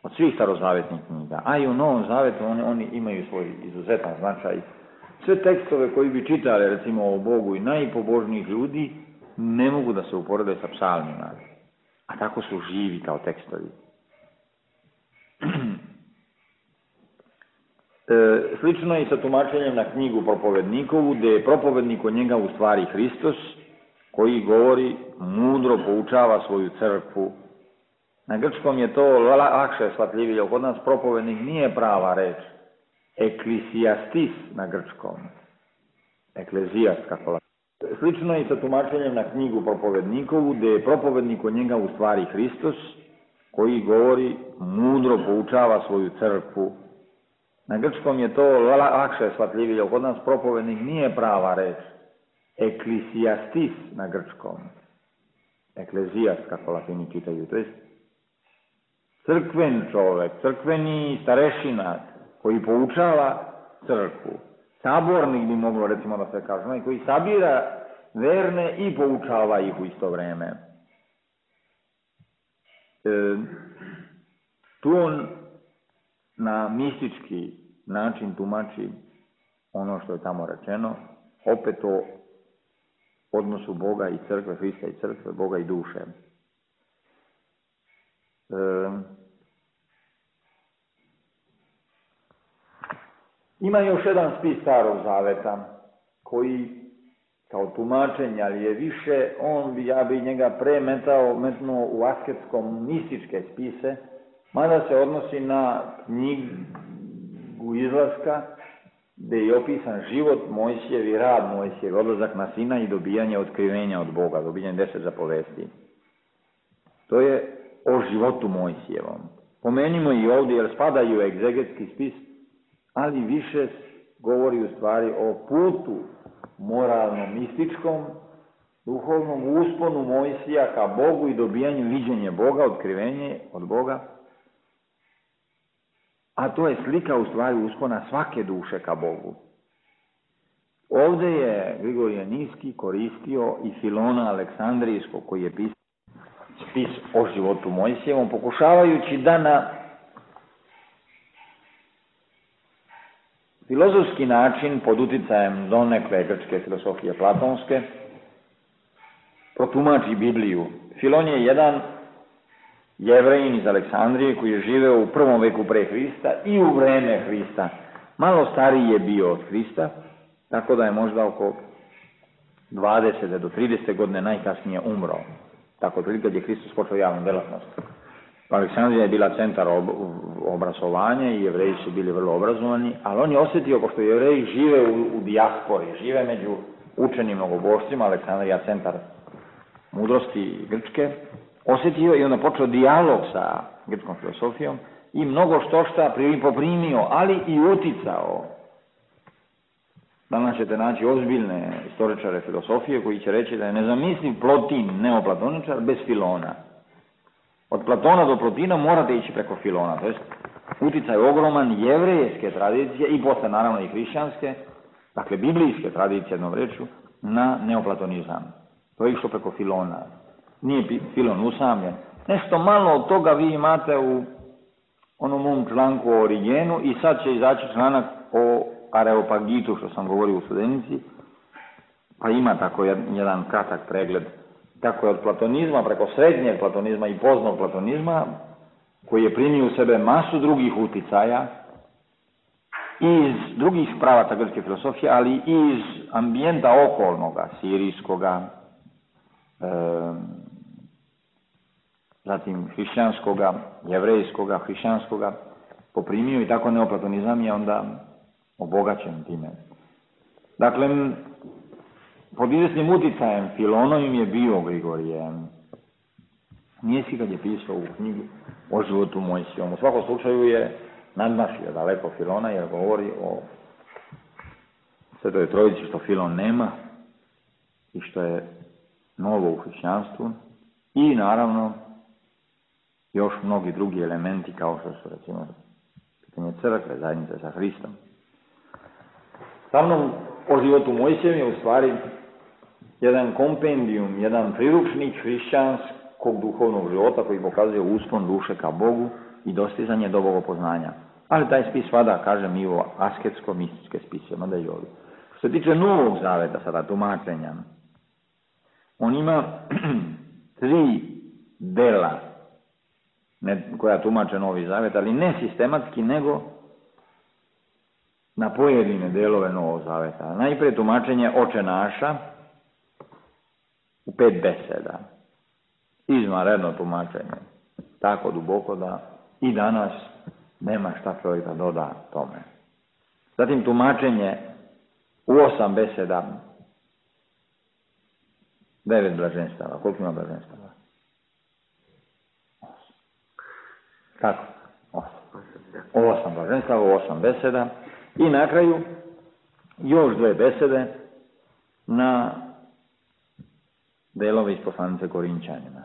Od svih starozavetnih knjiga. A i u Novom Zavetu oni, oni imaju svoj izuzetan značaj. Sve tekstove koji bi čitali, recimo, o Bogu i najpobožnijih ljudi, ne mogu da se uporede sa psalmima. A tako su živi kao tekstovi. E, slično je i sa tumačenjem na knjigu propovednikovu, gdje je propovednik od njega u stvari Hristos, koji govori, mudro poučava svoju crkvu. Na grčkom je to lakše shvatljivije. Kod nas propovednik nije prava reč. Eklisijastis na grčkom. Eklezijast, kako la... Slično je i sa tumačenjem na knjigu propovednikovu, gdje je propovednik od njega u stvari Hristos, koji govori, mudro poučava svoju crkvu. Na grčkom je to lakše shvatljivije. Kod nas propovednik nije prava reč. Eklisijastis na grčkom. Eklezijast, kako Latini čitaju. To je crkven čovjek, crkveni starešina koji poučava crkvu. Sabornik bi moglo, recimo, da se kaže, koji sabira verne i poučava ih u isto vreme. E, tu on na mistički način tumači ono što je tamo rečeno, opet o odnosu Boga i crkve, Hrista i crkve, Boga i duše. E, ima još jedan spis Starog Zaveta, koji kao tumačenje, ali je više, on bi, ja bi njega premetao, metnuo u asketskom mističke spise, mada se odnosi na knjigu Izlaska, gdje je opisan život Mojsijev i rad Mojsijev, odlazak na Sinaj i dobijanje otkrivenja od Boga, dobijanje deset zapovesti. To je o životu Mojsijevom. Pomenimo i ovdje, jer spadaju u egzegetski spis, ali više govori u stvari o putu moralno-mističkom, duhovnom usponu Mojsija ka Bogu i dobijanju viđenja Boga, otkrivenje od Boga. A to je slika u stvari uspona svake duše ka Bogu. Ovdje je Grigorije Niski koristio i Filona Aleksandrijskog, koji je pisao spis o životu Mojsijevom, pokušavajući da na filozofski način pod uticajem donekle grčke filosofije platonske protumači Bibliju. Filon je jedan Jevrejin iz Aleksandrije koji je živeo u prvom veku pre Hrista i u vreme Hrista. Malo stariji je bio od Hrista, tako da je možda oko dvadeset do trideset godine najkasnije umro. Tako otprilike kad je Hristos počeo javnu delatnost. Aleksandrija je bila centar ob obrazovanja i Jevreji su bili vrlo obrazovani, ali on je osjetio, pošto Jevreji žive u, u dijaspori, žive među učenim mnogobošcima, Aleksandrija centar mudrosti Grčke, osjetio i onda počeo dijalog sa grčkom filosofijom i mnogo što šta poprimio, ali i uticao. Danas ćete naći ozbiljne istoričare filosofije koji će reći da je nezamisliv Plotin neoplatoničar bez Filona. Od Platona do Plotina morate ići preko Filona, to jest uticaj ogroman jevrejske tradicije i posle naravno i hrišćanske, dakle biblijske tradicije jednom rečju, na neoplatonizam. To je išlo preko Filona. Nije Filon usamljen. Nešto malo od toga vi imate u onom mom članku o Origenu i sad će izaći članak o Areopagitu, što sam govorio u Studenici, pa ima tako jedan kratak pregled. Tako je od platonizma, preko srednjeg platonizma i poznog platonizma, koji je primio u sebe masu drugih uticaja, iz drugih pravaca grčke filosofije, ali i iz ambijenta okolnoga, sirijskoga, e, zatim hrišćanskoga, jevrejskoga, hrišćanskoga, poprimio i tako neoplatonizam je onda obogaćen time. Dakle, pod izvesnim uticajem Filonovim je bio Grigorije Nijemski kad je pisao u knjigu o životu Mojsijevom. U svakom slučaju je nadmašio daleko Filona jer govori o Svetoj Trojici što Filon nema i što je novo u hrišćanstvu i naravno još mnogi drugi elementi kao što su recimo pitanje crkve, zajednice sa Hristom. Sa mnom o životu Mojsijevom je u stvari jedan kompendijum, jedan priručnik hrišćanskog duhovnog života koji pokazuje uspon duše ka Bogu i dostizanje do bogopoznanja. Ali taj spis vada, kažem, i u asketsko-mističke spise, mada i ovdje. Što se tiče Novog zaveta, sada tumačenja, on ima tri dela ne, koja tumače Novi zavet, ali ne sistematski, nego na pojedine delove Novog zaveta. Najprije tumačenje Oče naša u pet beseda. Izvanredno tumačenje. Tako duboko da i danas nema šta čovjek da doda tome. Zatim tumačenje u osam beseda. Devet blaženstava. Koliko ima blaženstava? Kako? Osam. Osam blaženstava u osam beseda. I na kraju još dve besede na delove iz poslanice Korinčanima.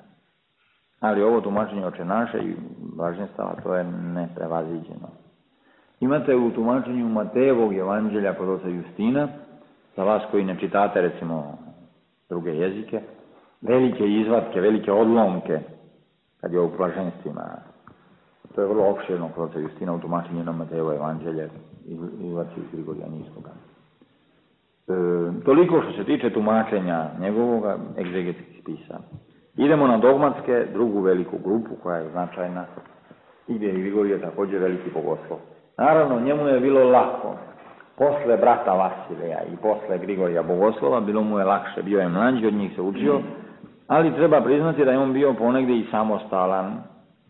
Ali ovo tumačenje Oče naše i blaženstava, to je neprevaziđeno. Imate u tumačenju Matejevog evanđelja kod oca Justina, za vas koji ne čitate recimo druge jezike, velike izvatke, velike odlomke, kad je o blaženstvima. To je vrlo opširno kod oca Justina u tumačenju na Matejevo evanđelje i izvatci iz Grigorijanijskoga. E, toliko što se tiče tumačenja njegovoga egzegetskih spisa. Idemo na dogmatske, drugu veliku grupu koja je značajna i gdje je Grigorije također veliki bogoslov. Naravno, njemu je bilo lako. Posle brata Vasilija i posle Grigorija bogoslova bilo mu je lakše. Bio je mlađi, od njih se učio, ali treba priznati da je on bio ponegdje i samostalan,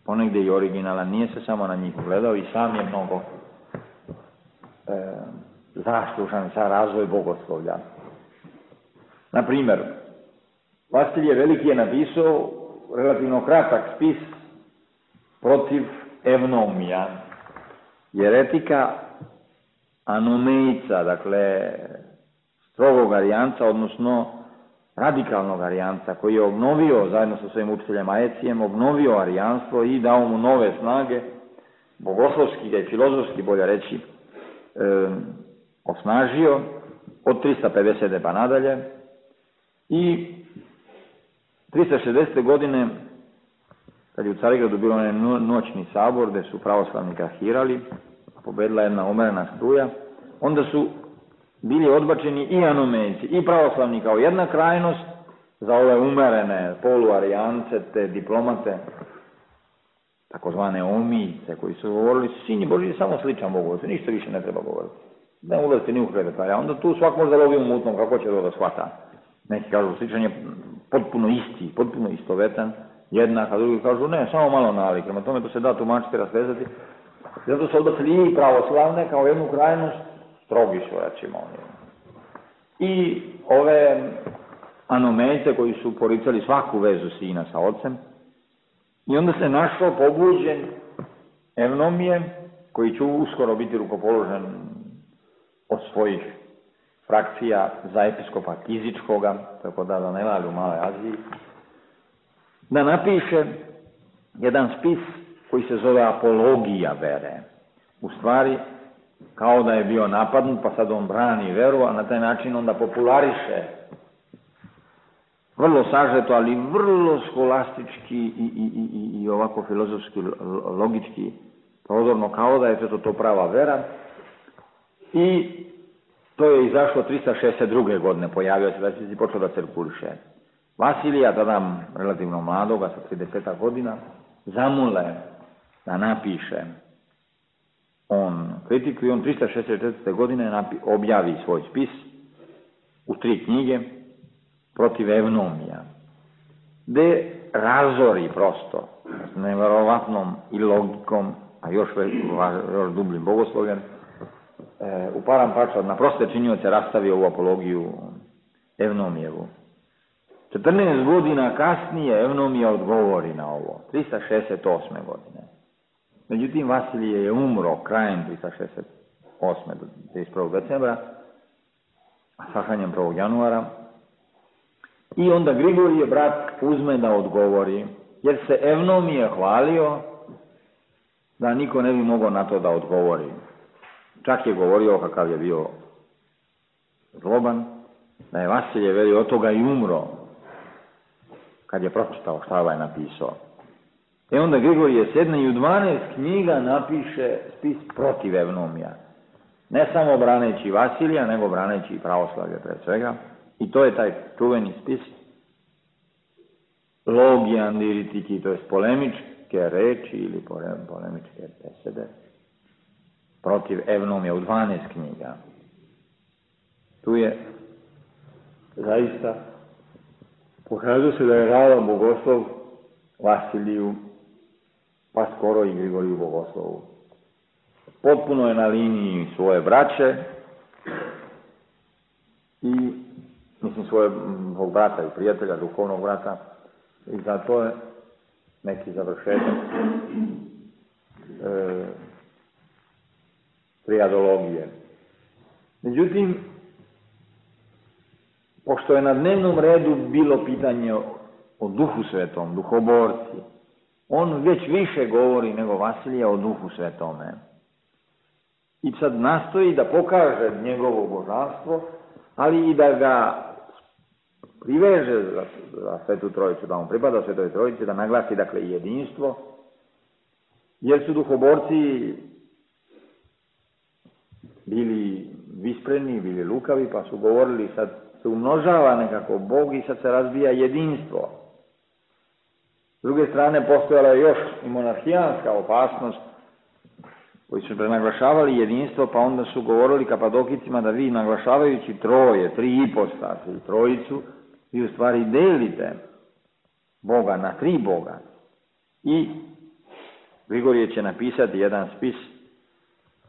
ponegdje i originalan. Nije se samo na njih gledao i sam je mnogo e, zaslužan za razvoj bogoslovlja. Na primjer, Vasilije Veliki je napisao relativno kratak spis protiv evnomija, jeretika anomejca, dakle strogog arijanca, odnosno radikalnog arijanca, koji je obnovio zajedno sa svojim učiteljem Aecijem, obnovio arijanstvo i dao mu nove snage, bogoslovski i filozofski, bolje reći, e, osnažio od trista pedesete pa nadalje i trista šezdesete godine, kad je u Carigradu bilo onaj noćni sabor gdje su pravoslavni krahirali, pobedila jedna umerena struja, onda su bili odbačeni i anomejci, i pravoslavni kao jedna krajnost za ove umerene poluarijance, te diplomate, takozvane omijce, koji su govorili, Sin Božji je samo sličan Bogu, ništa više ne treba govoriti. Ne ulazite ni u detalje, onda tu svak možda lovi u mutnom, kako će to da shvata. Neki kažu, sličan je potpuno isti, potpuno istovetan, jednak, a drugi kažu, ne, samo malo nalik, prema tome to se da tumačiti, rastezati. Zato su odbacili i pravoslavne kao jednu krajnost, strogi su, recimo. I ove anomejce koji su poricali svaku vezu sina sa ocem, i onda se našao pobuđen Evnomije, koji će uskoro biti rukopoložen od svojih frakcija za episkopa Kizičkoga, tako da da ne vali u Maloj Aziji, da napiše jedan spis koji se zove Apologija vere. U stvari, kao da je bio napadnut, pa sad on brani veru, a na taj način onda populariše vrlo sažeto, ali vrlo skolastički i, i, i, i ovako filozofski, logički, prodorno, kao da je to, to prava vera. I to je izašlo trista šezdeset druge godine, pojavio se da će si počeo da cirkuliše. Vasilija, tada relativno mladoga, sa trideset godina, zamole da napiše on kritiku i on trista šezdeset četvrte godine napi, objavi svoj spis u tri knjige protiv Evnomija, gde razori prosto s neverovatnom i logikom, a još, još dubljim bogoslovjem, e, u param pača na proste činioce rastavio ovu apologiju Evnomijevu. četrnaest godina kasnije Evnomija odgovori na ovo, trista šezdeset osme godine. Međutim, Vasilije je umro krajem trista šezdeset osme do trideset prvog decembra, a sahranjen prvog januara. I onda Grigorije, brat, uzme da odgovori, jer se Evnomije hvalio da niko ne bi mogao na to da odgovori. Čak je govorio kakav je bio zloban, da je Vasilije veli od toga i umro, kad je pročitao šta ovaj napisao. I onda Grigorije sedne i u dvanaest knjiga napiše spis protiv Evnomija. Ne samo braneći Vasilija, nego braneći pravoslavlje pred svega. I to je taj čuveni spis Logija Andiritiki, to je polemičke reči ili polemičke besede protiv Evnomija u dvanaest knjiga. Tu je zaista pokazuje se da je ravan bogoslov Vasiliju, pa skoro i Grigoriju bogoslovu. Potpuno je na liniji svoje braće i mislim svoje brata i prijatelja, duhovnog brata, i zato je neki završetak e, triadologije. Međutim, pošto je na dnevnom redu bilo pitanje o Duhu Svetom, duhoborci, on već više govori nego Vasilija o Duhu Svetome. I sad nastoji da pokaže njegovo božanstvo, ali i da ga priveže za, za Svetu Trojicu, da on pripada Svetoj Trojici, da naglasi dakle jedinstvo, jer su duhoborci bili vispreni, bili lukavi, pa su govorili sad se umnožava nekako Bog i sad se razbija jedinstvo. S druge strane, postojala je još i monarhijanska opasnost, koji su prenaglašavali jedinstvo, pa onda su govorili Kapadokicima da vi naglašavajući troje, tri ipostase i trojicu, vi u stvari delite Boga na tri Boga. I Grigorije će napisati jedan spis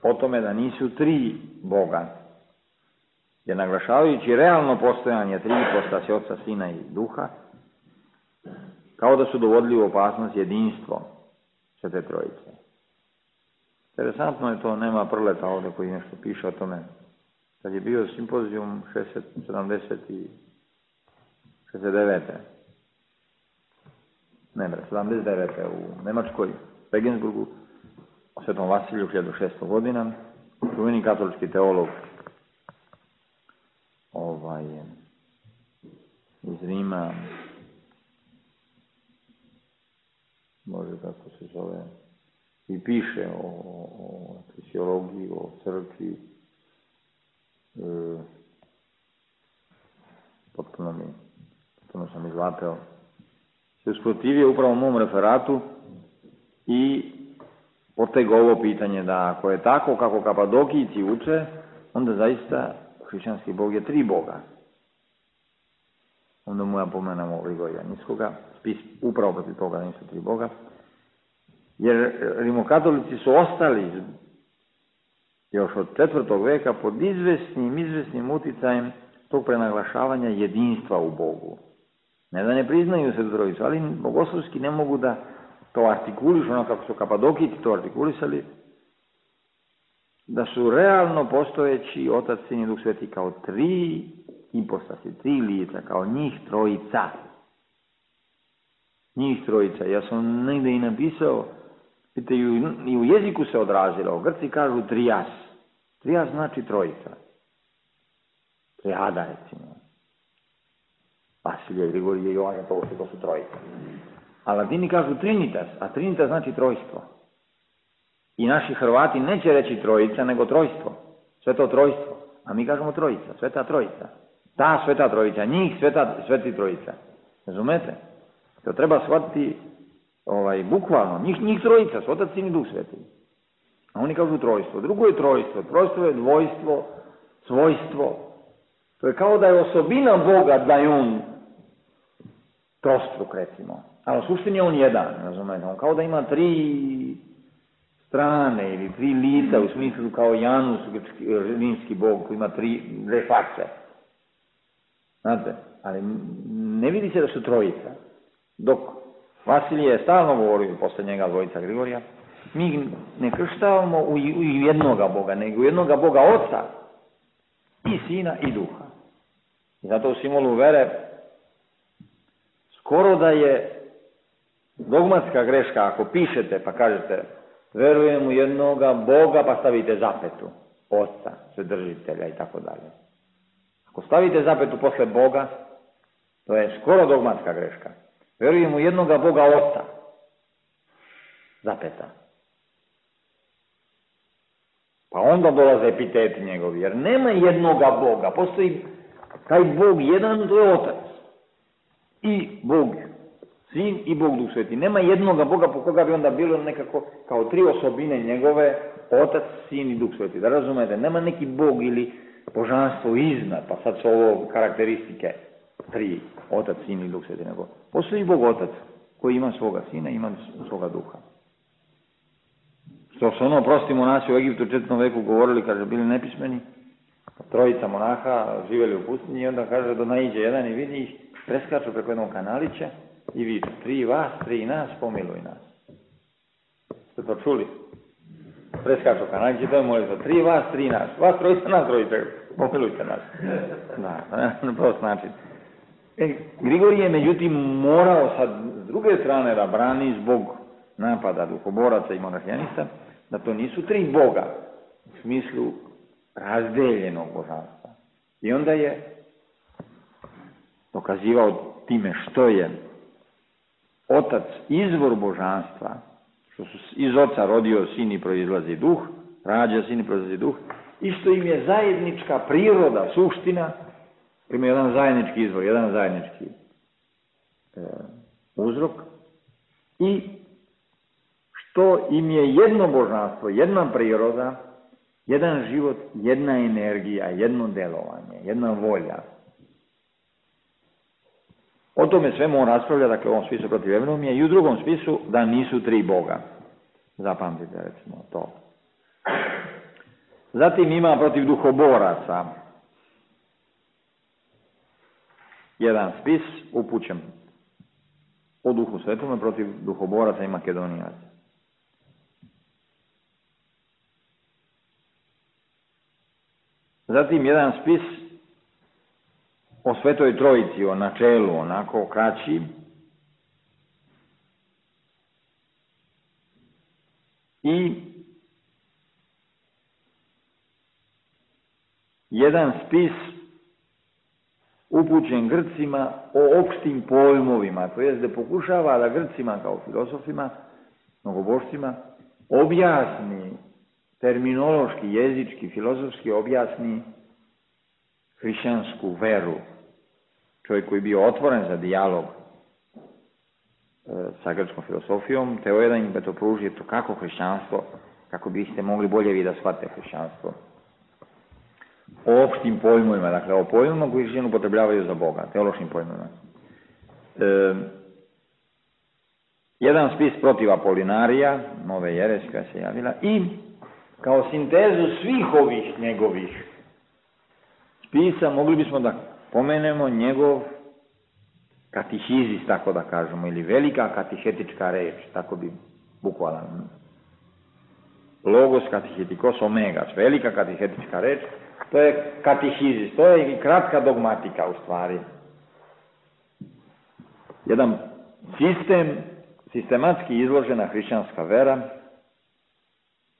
o tome da nisu tri Boga, jer naglašavajući realno postojanje tri ipostase Oca, Sina i Duha, kao da su dovodili u opasnost jedinstvo Svete Trojice. Interesantno je to, nema Prleta ovdje koji nešto piše o tome. Kad je bio simpozijum šezdeset, sedamdeset i šezdeset devete Ne bre, sedamdeset devete u Nemačkoj, Regensburgu, o Svetom Vasiliju, hiljadu šesto godina, čuveni katolički teolog ovaj, iz Rima, može kako se zove, i piše o, o fisiologiji, o crkvi, e, potpuno mi, potpuno sam izvapeo, se usprotivio upravo mom referatu i potego ovo pitanje da ako je tako kako Kapadokijci uče, onda zaista hrišćanski Bog je tri Boga. Onda mu ja pomenamo Grigorija Niskoga, spis upravo protiv toga da nisu tri Boga, jer rimokatolici su ostali još od četvrtog veka pod izvesnim, izvesnim uticajem tog prenaglašavanja jedinstva u Bogu. Ne da ne priznaju se trojicu, ali bogoslovski ne mogu da to artikulišu, ono kako su Kapadokijci to artikulisali, da su realno postojeći Otac, Sin i Duh Sveti kao tri impostasi, tri lica, kao njih trojica. Njih trojica. Ja sam negdje i napisao, vidite, i u jeziku se odrazilo. Grci kažu trias. Trias znači trojica. Triada, recimo. Vasilije, Grigorije, Jovan, to su, to su trojica. A Latini kažu trinitas, a trinitas znači trojstvo. I naši Hrvati neće reći trojica, nego trojstvo. Sveto trojstvo. A mi kažemo trojica, sveta trojica. Ta sveta trojica, njih sveta, sveti trojica. Razumete? To treba shvatiti ovaj, bukvalno. Njih, njih trojica, Otac, Sin i Duh Sveti. A oni kažu trojstvo. Drugo je trojstvo. Trojstvo je dvojstvo, svojstvo. To je kao da je osobina Boga da je on trostruk, recimo. Ali u suštini je on jedan, razumete? On kao da ima tri strane ili tri lica, u smislu kao Janus, rimski Bog, koji ima tri, dve face. Znate? Ali ne vidi se da su trojica. Dok Vasilije je stalno govorio, posle njega dvojica Grigorija, mi ne krštavamo u, u jednoga Boga, nego u jednoga Boga Oca i Sina i Duha. I zato u simbolu vere skoro da je dogmatska greška ako pišete pa kažete verujem u jednoga Boga pa stavite zapetu, Oca, Svedržitelja i tako dalje. Ako stavite zapetu posle Boga, to je skoro dogmatska greška. Verujem u jednoga Boga Oca, zapeta. Pa onda dolaze epiteti njegovi, jer nema jednoga Boga, postoji taj Bog jedan, to je Otac. I Bog Sin i Bog Duh Sveti. Nema jednoga Boga po koga bi onda bilo nekako kao tri osobine njegove, Otac, Sin i Duh Sveti. Da razumete, nema neki Bog ili božanstvo iznad, pa sad su ovo karakteristike tri, Otac, Sin i Duh Sveti. Nego postoji Bog Otac koji ima svoga Sina i ima svoga Duha. Što su ono prosti monasi u Egiptu u četvrtom veku govorili, kaže, bili nepismeni, trojica monaha živjeli u pustinji i onda kaže da naiđe jedan i vidi ih, preskaču preko jednog kanalića i viču, tri vas, tri nas, pomiluj nas. Ste to čuli? Preskaču kanalić i to je molitva, tri vas, tri nas, vas trojica, nas trojica, pomilujte nas. Da, na prost način. E, Grigorije je međutim morao sad s druge strane da brani zbog napada duhoboraca i monahijanista, da to nisu tri Boga u smislu razdeljenog božanstva. I onda je dokazivao time što je Otac izvor božanstva, što su iz Oca rodio Sin i proizlazi Duh, rađa Sin i proizlazi Duh, i što im je zajednička priroda, suština, ima jedan zajednički izvor, jedan zajednički e, uzrok, i što im je jedno božanstvo, jedna priroda, jedan život, jedna energija, jedno delovanje, jedna volja. O tome svemu on raspravlja, dakle u ovom spisu protiv Evnomije i u drugom spisu da nisu tri Boga. Zapamtite recimo to. Zatim ima protiv duhoboraca jedan spis upućen o Duhu Svetome protiv duhoboraca i Makedonijaca. Zatim jedan spis o Svetoj Trojici, o načelu, onako kraći. I jedan spis upućen Grcima o opštim pojmovima, to jest da pokušava da Grcima kao filozofima, mnogobošcima, objasni terminološki, jezički, filozofski objasni hrišćansku veru, čovjek koji je bio otvoren za dijalog e, sa grčkom filosofijom, teo je da im to pruži to kako hrišćanstvo, kako biste mogli bolje vi da shvatite hrišćanstvo. O opštim pojmovima, dakle o pojmovima koji hrišćani upotrebljavaju za Boga, teološkim pojmovima. E, jedan spis protiv Apolinarija, nove jeresi koja se javila, i kao sintezu svih ovih njegovih spisa mogli bismo da pomenemo njegov katihizis, tako da kažemo, ili velika katihetička reč, tako bi bukvalan. Logos katehetikos omegas, velika katihetička reč, to je katihizis, to je i kratka dogmatika u stvari. Jedan sistem, sistematski izložena hrišćanska vera,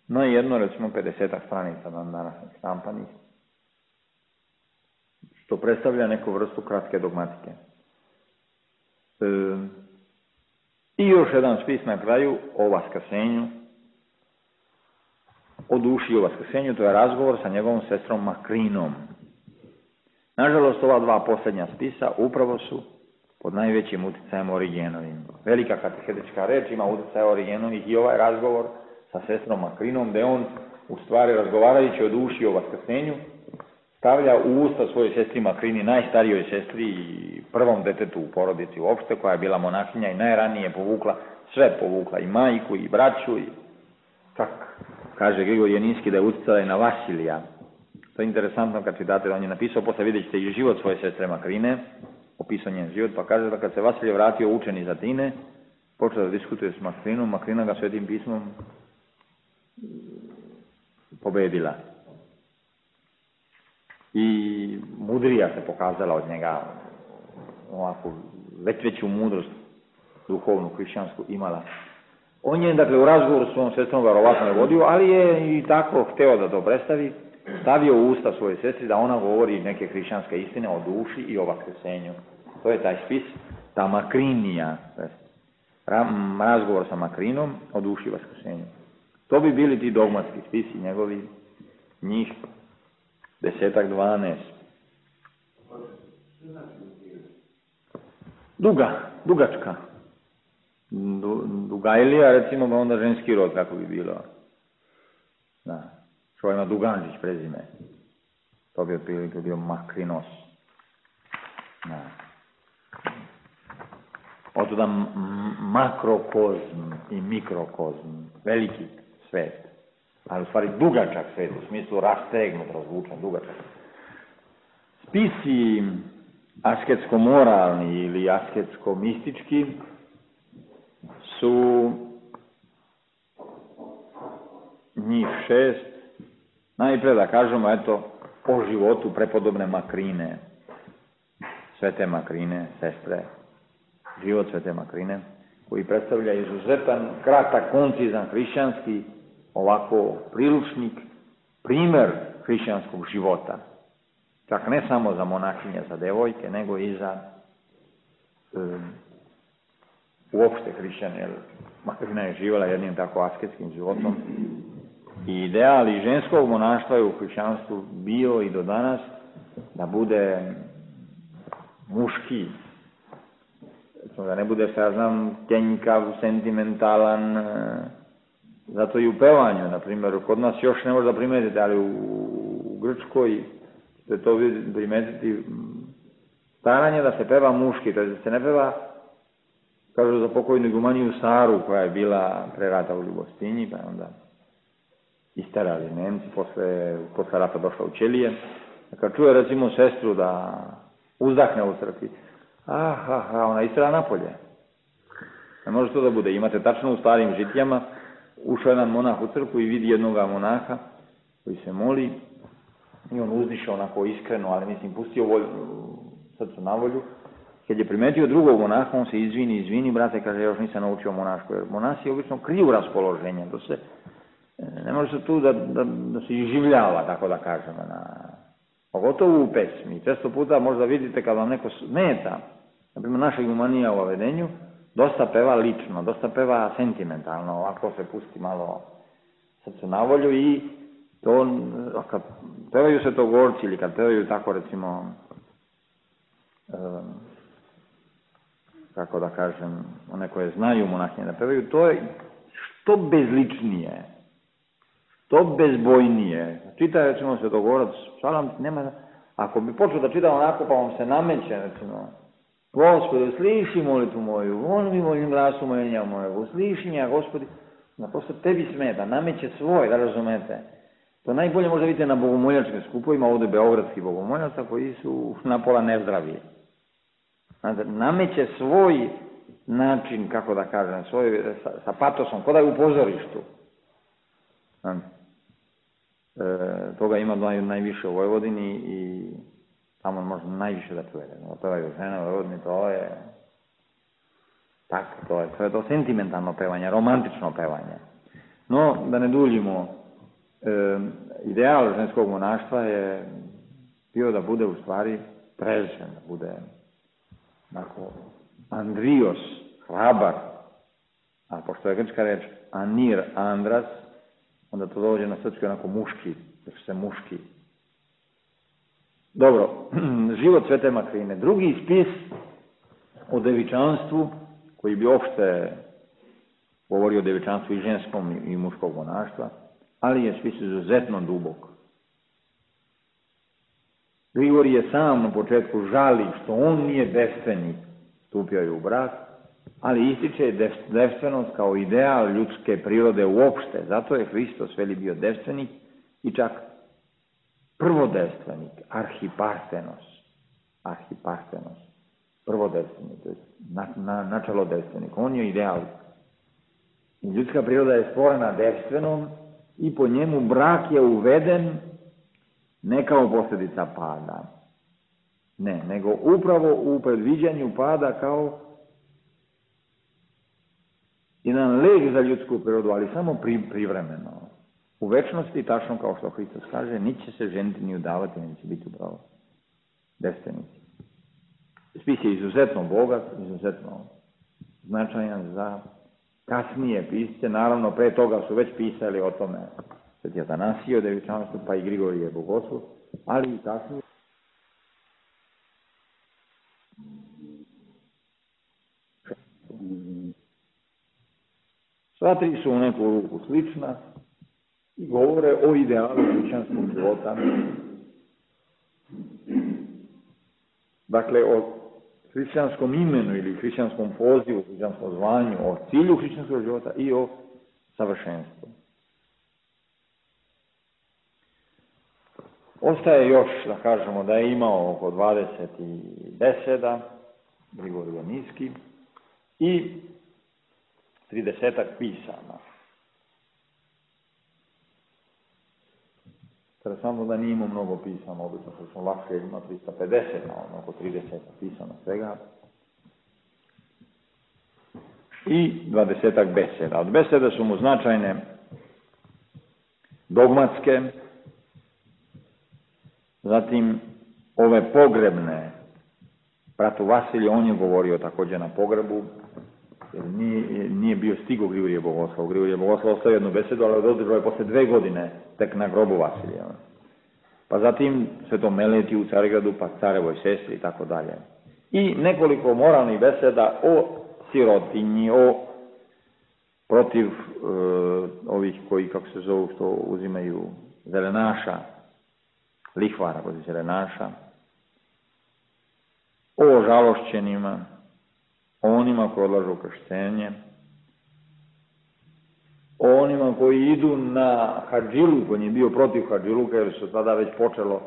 no i jedno, recimo, pedesetak stranica nam današnjih štampanih, što predstavlja neku vrstu kratke dogmatike. E, I još jedan spis na kraju o vaskrsenju, o duši i o vaskrsenju, to je razgovor sa njegovom sestrom Makrinom. Nažalost, ova dva posljednja spisa upravo su pod najvećim uticajem Origenovim. Velika katehetička reč ima utjecaj Origenovih i ovaj razgovor sa sestrom Makrinom, gde on, u stvari, razgovarajući o duši i o vaskrsenju, stavlja u usta svojoj sestri Makrini, najstarijoj sestri i prvom detetu u porodici uopšte, koja je bila monahinja i najranije povukla, sve povukla, i majku, i braću, i čak kaže Grigor Jeninski da je utjecala i na Vasilija. To je interesantno kad čitate, on je napisao, posle vidjet ćete i život svoje sestre Makrine, opisao njen život, pa kaže da kad se Vasilije vratio učen iz Atine, počeo da diskutuje s Makrinom, Makrina ga Svetim pismom pobedila. I mudrija se pokazala od njega, ovako, već veću mudrost duhovnu, hrišćansku imala. On je, dakle, u razgovoru s svojom sestrom verovatno je vodio, ali je i tako hteo da to predstavi, stavio u usta svoje sestri da ona govori neke hrišćanske istine o duši i o vaskrsenju. To je taj spis, ta Makrinija, razgovor sa Makrinom o duši i vaskrsenju. To bi bili ti dogmatski spisi njegovi, njih desetak, dvanaest. Duga, dugačka. Du, Dugajlija, recimo, ba onda ženski rod, kako bi bilo. Da. Što ima Duganžić prezime. To bi otprilike bio Makrinos. Da. Otuda makrokozm i mikrokozm. Veliki svet. Ali u stvari dugačak svet, u smislu rastegnut, razvučen, dugačak. Spisi asketsko-moralni ili asketsko-mistički su njih šest. Najpre da kažemo, eto, o životu prepodobne Makrine, svete Makrine, sestre, život svete Makrine, koji predstavlja izuzetan, kratak, koncizan, hrišćanski, ovako priručnik, primer hrišćanskog života. Čak ne samo za monahinje, za devojke, nego i za um, uopšte hrišćane, jer Makrina je živjela jednim tako asketskim životom. I ideal i ženskog monaštva je u hrišćanstvu bio i do danas da bude muški, da ne bude, ja znam, kenjkav, sentimentalan, zato i u pevanju, na primjer, kod nas još ne može da primetite, ali u, u Grčkoj ćete to primetiti, staranje da se peva muški, to je da se ne peva, kažu za pokojnu igumaniju Saru, koja je bila pre rata u Ljubostinji, pa je onda isterali Nemci, posle, posle rata došla u Ćelije. Kad čuje, recimo, sestru da uzdahne u crkvi, ah, ah, ah, ona istera napolje. Ne može to da bude. Imate tačno u starim žitijama, ušao jedan monah u crkvu i vidi jednoga monaha koji se moli i on uzdiše onako iskreno, ali mislim, pustio volju, srcu na volju. Kad je primetio drugog monaha, on se izvini, izvini, brate, kaže, još nisam naučio monašku, jer monasi obično kriju raspoloženje, to se, ne može se tu da, da, da se iživljava, tako da kažemo, na, pogotovo u pesmi. Često puta možda vidite kad vam neko smeta, na primjer naša igumanija u Avedenju, dosta peva lično, dosta peva sentimentalno, ovako se pusti malo srcu na volju i To, kad pevaju svetogorci ili kad pevaju tako recimo, um, kako da kažem, one koje znaju monahinje da pevaju, to je što bezličnije, što bezbojnije. Čita recimo svetogorac, psalam, nema, ako bi počeo da čita onako pa vam se nameće, recimo, Gospode, sliši molitvu moju, on mi molim glasu moljenja mojeg, sliši nja, Gospodi, na prosto tebi smeta, nameće svoj, da razumete. To najbolje možda vidite na bogomoljačkim skupovima, ovdje beogradskih bogomoljaca koji su napola nezdravi. Znate, nameće svoj način, kako da kažem, svoj, sa, sa patosom, ko da je u pozorištu. Znate, e, toga ima naj, najviše u Vojvodini i tamo možda najviše da čuje. Pevaju žene u Vojvodini, to je tako, to je, to je to sentimentalno pevanje, romantično pevanje. No, da ne duljimo, e, ideal ženskog monaštva je bio da bude u stvari prežen, da bude onako andrios, hrabar, a pošto je grčka reč anir, andras, onda to dođe na srpski onako muški, jer se muški. Dobro, život Svete Makrine. Drugi spis o devičanstvu, koji bi opšte govorio o devičanstvu i ženskom i muškog monaštva, ali je spis izuzetno dubok. Grigorije sam na početku žali što on nije devstvenik, stupio je u brak, ali ističe devstvenost kao ideal ljudske prirode uopšte. Zato je Hristos veli bio devstvenik i čak prvodevstvenik, arhipartenos, arhipartenos, prvodevstvenik, to je na, na, načelo devstvenik. On je ideal. I ljudska priroda je stvorena devstvenom i po njemu brak je uveden ne kao posljedica pada. Ne, nego upravo u predviđanju pada kao jedan lek za ljudsku prirodu, ali samo pri, privremeno. U večnosti, tačno kao što Hristos kaže, niće se ženiti ni udavati, ni će biti upravo devstvenici. Spis je izuzetno bogat, izuzetno značajan za kasnije pisce. Naravno, pre toga su već pisali o tome Sveti Atanasije o devičanstvu, pa i Grigorije Bogoslov, ali i kasnije. Sva tri su u neku ruku slična i govore o idealu hrišćanskog života. Dakle, o hrišćanskom imenu ili hrišćanskom pozivu, hrišćanskom zvanju, o cilju hrišćanskog života i o savršenstvu. Ostaje još da kažemo da je imao oko dvadeset beseda, Grigorije Niski, i tridesetak pisama. Interesantno da nije imao mnogo pisama, obično što smo lakše ima trista pedeset, na oko trideset pisama svega. I dvadesetak beseda. Od beseda su mu značajne dogmatske, zatim ove pogrebne. Bratu Vasiliju, on je govorio također na pogrebu, jer nije, nije bio stigo Grigorije Bogoslov. Grigorije Bogoslov ostavio jednu besedu, ali održao je posle dve godine tek na grobu Vasilija. Pa zatim Svetom Meletiju u Carigradu, pa Carevoj sestri i tako dalje. I nekoliko moralnih beseda o sirotinji, o protiv e, ovih koji, kako se zovu, što uzimaju zelenaša, lihvara protiv zelenaša, o žalošćenima, o onima koji odlažu krštenje, o onima koji idu na hadžiluk, on je bio protiv hadžiluka jer su tada već počelo,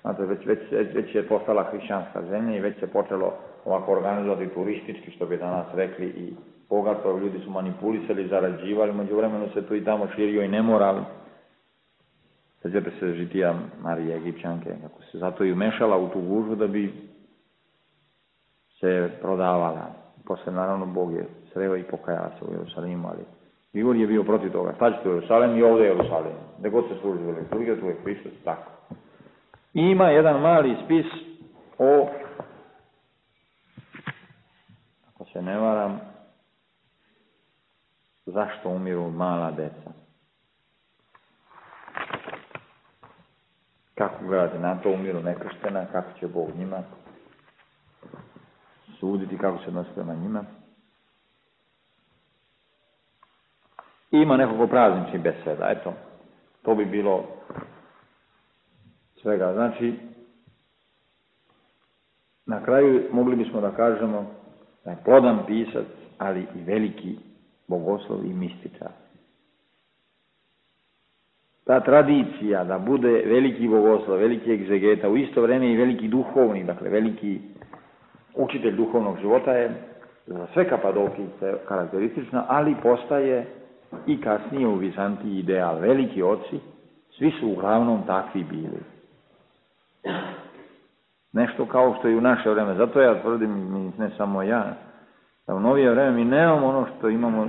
znate, već, već, već je postala hrišćanska zemlja i već se počelo ovako organizovati turistički, što bi danas rekli, i bogato, ljudi su manipulisali, zarađivali, među vremenu se tu i tamo širio i nemoral. Sjećate se žitija Marije Egipćanke, kako se zato i umešala u tu gužvu da bi se prodavala. Posle, naravno, Bog je sreo i pokajala se u Jerusalimu, ali Grigorije je bio protiv toga. Šta ćete u Jerusalim i ovdje je Jerusalim. Gde god se služi u liturgiju, tu je Hristos, tako. I ima jedan mali spis o, ako se ne varam, zašto umiru mala deca. kako gledate na to, umiru nekrštena, kako će Bog njima suditi, kako se odnosi prema njima. I ima nekoliko prazničnih beseda, eto, to bi bilo svega. Znači, na kraju mogli bismo da kažemo da je plodan pisac, ali i veliki bogoslov i mističar. Ta tradicija da bude veliki bogoslov, veliki egzegeta, u isto vrijeme i veliki duhovni, dakle veliki učitelj duhovnog života je za sve Kapadokijce karakteristična, ali postaje i kasnije u Vizantiji ideal. Veliki oci, svi su uglavnom takvi bili. Nešto kao što i u naše vreme. Zato ja tvrdim, ne samo ja, da u novije vreme mi nemamo ono što imamo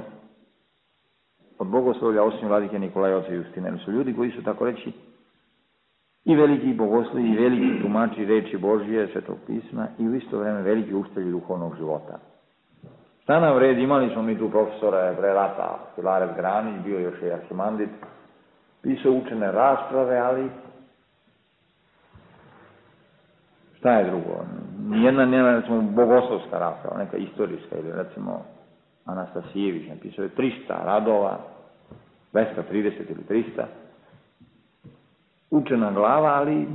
od bogoslovlja, osim vladike Nikolaja, oca Justina. Jer su ljudi koji su, tako reći, i veliki bogoslovi, i veliki tumači reči Božije, Svetog pisma, i u isto vrijeme veliki učitelji duhovnog života. Šta nam vredi, imali smo mi tu profesora pre rata, Filarev Granić, bio još i Arhimandrit, pisao učene rasprave, ali šta je drugo? Nijedna nema, recimo, bogoslovska rasprava, neka istorijska, ili recimo Anastasijević, napisao je trista radova, dvesta trideset ili trista, učena glava, ali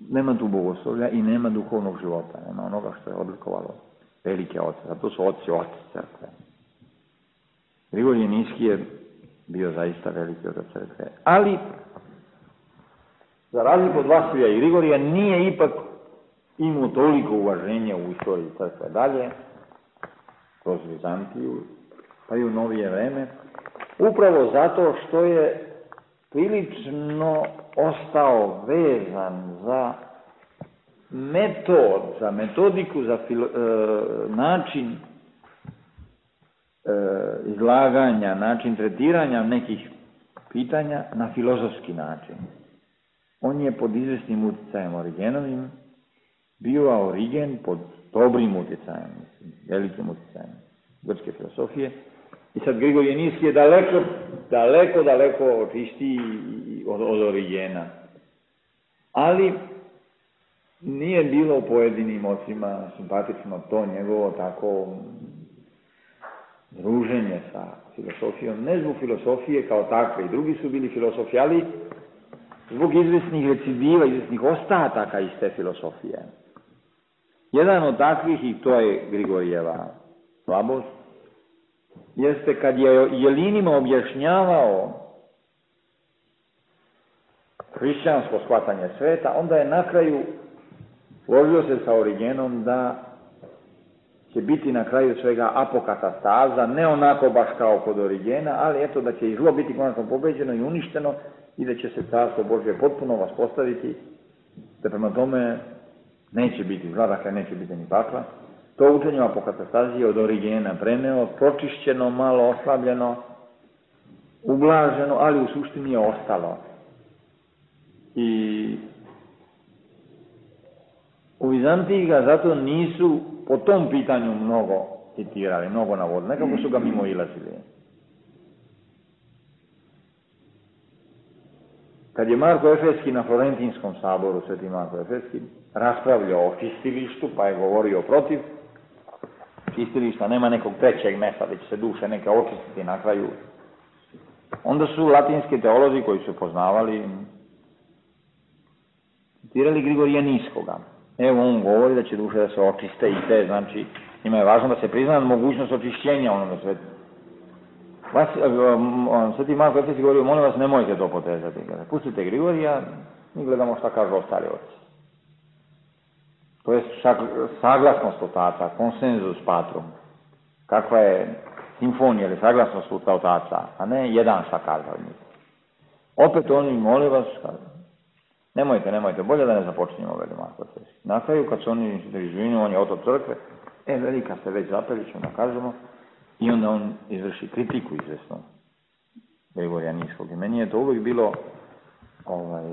nema tu bogoslovlja i nema duhovnog života, nema onoga što je odlikovalo velike oce, zato su oci oci crkve. Grigorije Niski je bio zaista veliki otac crkve, ali za razliku od Vasilija i Grigorija nije ipak imao toliko uvaženja u istoriji crkve dalje, kroz Vizantiju, pa i u novije vreme, upravo zato što je prilično ostao vezan za metod, za metodiku, za filo, e, način e, izlaganja, način tretiranja nekih pitanja na filozofski način. On je pod izvesnim utjecajem Origenovim bio, a Origen pod dobrim utjecajem, velikim utjecajem grčke filosofije. I sad Grigorije Niski je daleko, daleko, daleko čistiji od, od Origena. Ali nije bilo pojedinim ocima simpatično to njegovo tako druženje sa filosofijom. Ne zbog filosofije kao takve, i drugi su bili filosofi, ali zbog izvesnih recidiva, izvesnih ostataka iz te filosofije. Jedan od takvih, i to je Grigorijeva slabost, jeste kad je Jelinima objašnjavao hrišćansko shvatanje sveta, onda je na kraju složio se sa Origenom da će biti na kraju svega apokatastaza, ne onako baš kao kod Origena, ali eto da će i zlo biti konačno pobeđeno i uništeno i da će se carstvo Božje potpuno vaspostaviti, da prema tome neće biti zla, dakle neće biti ni pakla. To učenje apokatastazije od Origena preneo, pročišćeno, malo oslabljeno, ublaženo, ali u suštini je ostalo. I u Vizantiji ga zato nisu po tom pitanju mnogo citirali, mnogo navodili, nekako su ga mimo ilazili. Kad je Marko Efeski na Florentinskom saboru, sveti Marko Efeski, raspravljao o čistilištu, pa je govorio protiv čistilišta, nema nekog trećeg mesta da će se duše neke očistiti na kraju. Onda su latinski teolozi koji su poznavali citirali Grigorija Niskoga. Evo on govori da će duše da se očiste i te, znači njima je važno da se prizna mogućnost očišćenja onome svetu. Vas, sveti Marko Efeski govorio, molim vas, nemojte to potezati. Pustite Grigorija, mi gledamo šta kažu ostali oci. To je saglasnost otaca, konsenzus patrum. Kakva je simfonija ili saglasnost otaca, a ne jedan šta kaže od njih. Opet oni, molim vas, nemojte, nemojte, bolje da ne započinjemo, veli Marko Efeski. Na kraju, kad su oni izvinu, on je otac crkve, e, velika se već zapeliću, da kažemo, i onda on izvrši kritiku izvesno Grigorija Niskog. I meni je to uvijek bilo ovaj,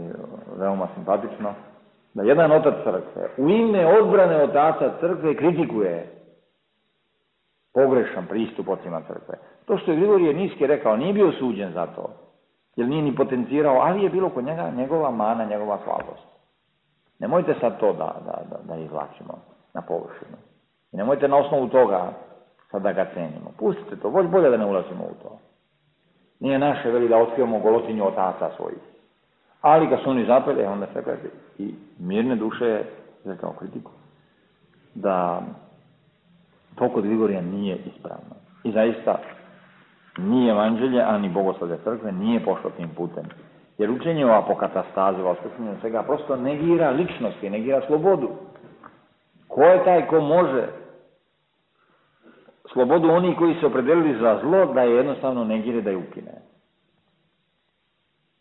veoma simpatično, da jedan otac crkve u ime odbrane otaca crkve kritikuje pogrešan pristup ocima crkve. To što je Grigorije Niski rekao, nije bio suđen za to. jer nije ni potencirao, ali je bilo kod njega njegova mana, njegova slabost. Nemojte sad to da, da, da, da izvlačimo na površinu. I nemojte na osnovu toga sad da ga cenimo. Pustite to, bolje da ne ulazimo u to. Nije naše, veli, da otkrivamo golotinju otaca svojih. Ali kad su oni zapeli, onda se kaže, i mirne duše je izrekao kritiku, da to kod Grigorija nije ispravno. I zaista, ni evanđelje, a ni bogoslovlje crkve nije pošlo tim putem. Jer učenje o apokatastazi, o vaskrsenju svega, prosto negira ličnosti, negira slobodu. Ko je taj ko može slobodu oni koji se opredelili za zlo, da je jednostavno negire, da je ukine.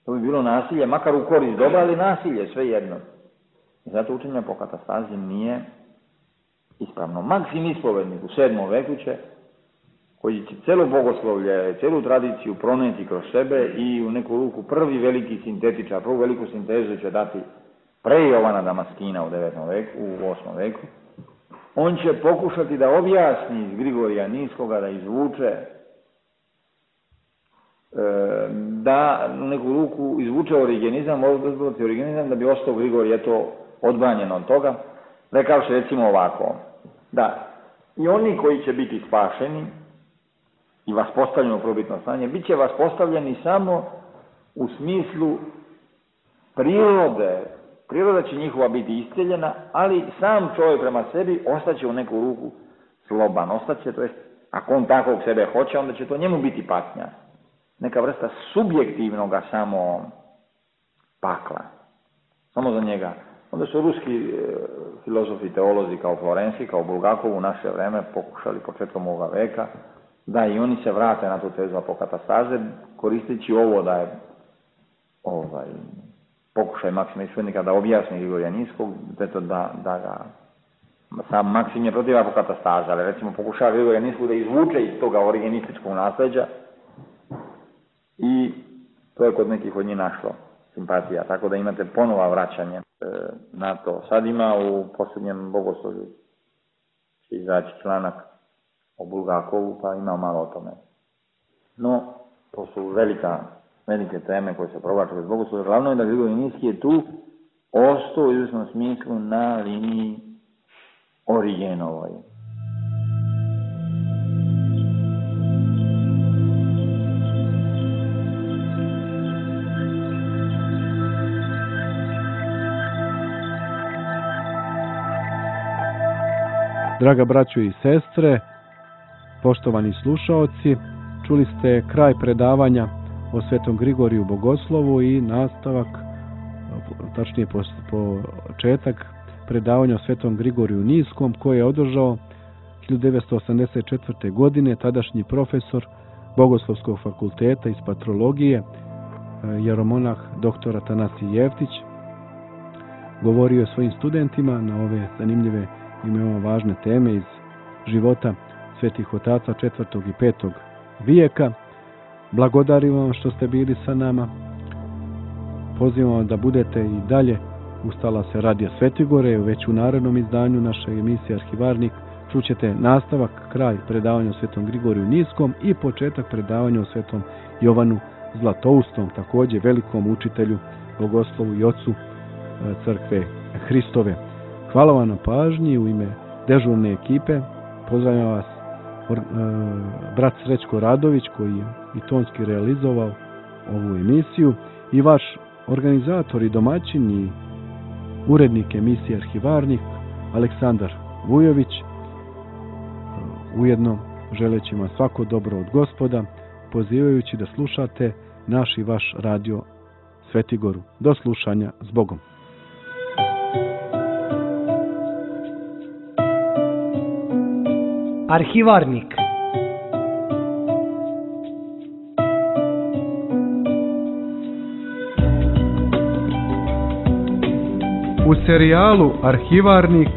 To bi bilo nasilje, makar u korist dobra, ali nasilje, sve jedno. I zato učenje po katastazi nije ispravno. Maksim ispovednik u sedmom veku će, koji će celo bogoslovlje, celu tradiciju proneti kroz sebe i u neku ruku prvi veliki sintetičar, prvu veliku sintezu će dati pre Jovana Damaskina u devetom veku, u osmom veku. On će pokušati da objasni iz Grigorija Niskoga, da izvuče, da u neku ruku izvuče origenizam, origenizam da bi ostao Grigorij eto odbranjen od toga, rekavši recimo ovako, da i oni koji će biti spašeni i vaspostavljeni u probitno stanje, bit će vaspostavljeni samo u smislu prirode. Priroda će njihova biti isceljena, ali sam čovjek prema sebi ostaće u neku ruku sloban, ostaće, to jest, ako on takvog sebe hoće, onda će to njemu biti patnja. Neka vrsta subjektivnoga samo pakla. Samo za njega. Onda su ruski e, filozofi, teolozi kao Florenski, kao Bulgakov u naše vreme pokušali početkom ovoga veka da i oni se vrate na tu tezu apokatastaze, koristeći ovo da je ovaj, pokušaj Maksima Ispovednika da objasni Grigorija Niskog, eto da, da ga sam Maksim je protiv apokatastaze, ali recimo pokušava Grigorija Niskog da izvuče iz toga origenističkog nasljeđa i to je kod nekih od njih našlo simpatija, tako da imate ponova vraćanje e, na to. Sad ima u posljednjem bogoslovlju će izaći članak o Bulgakovu, pa ima malo o tome. No, to su velika, velike teme koje se provlače bez bogoslovlja. Glavno je da Grigorij Niski je tu ostao u izvjesnom smislu na liniji Origenovoj. Draga braćo i sestre, poštovani slušaoci, čuli ste kraj predavanja o Svetom Grigoriju Bogoslovu i nastavak, tačnije početak predavanja o Svetom Grigoriju Niskom, koje je održao hiljadu devetsto osamdeset četvrte. godine tadašnji profesor Bogoslovskog fakulteta iz patrologije, jeromonah doktor Atanasij Jeftić. Govorio je svojim studentima na ove zanimljive i veoma važne teme iz života svetih otaca četvrtog i petog vijeka. Blagodarim vam što ste bili sa nama. Pozivam vam da budete i dalje ustala se Radija Svetigore, već u narednom izdanju naše emisije Arhivarnik čućete nastavak, kraj predavanja o Svetom Grigoriju Niskom i početak predavanja o Svetom Jovanu Zlatoustom, također velikom učitelju, bogoslovu i ocu crkve Hristove. Hvala vam na pažnji, u ime dežurne ekipe pozdravljam vas or, e, brat Srećko Radović, koji je i tonski realizovao ovu emisiju, i vaš organizator i domaćin i urednik emisije Arhivarnik Aleksandar Vujović. Ujedno želeći vam svako dobro od Gospoda, pozivajući da slušate naš i vaš radio Svetigoru. Do slušanja, s Bogom. Arhivarnik. U serijalu Arhivarnik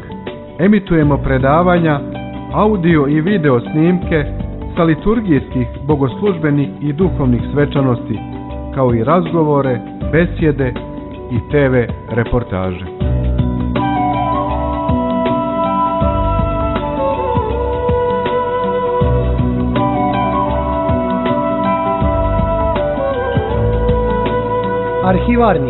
emitujemo predavanja, audio i video snimke sa liturgijskih, bogoslužbenih i duhovnih svečanosti, kao i razgovore, besjede i te ve reportaže. Varni.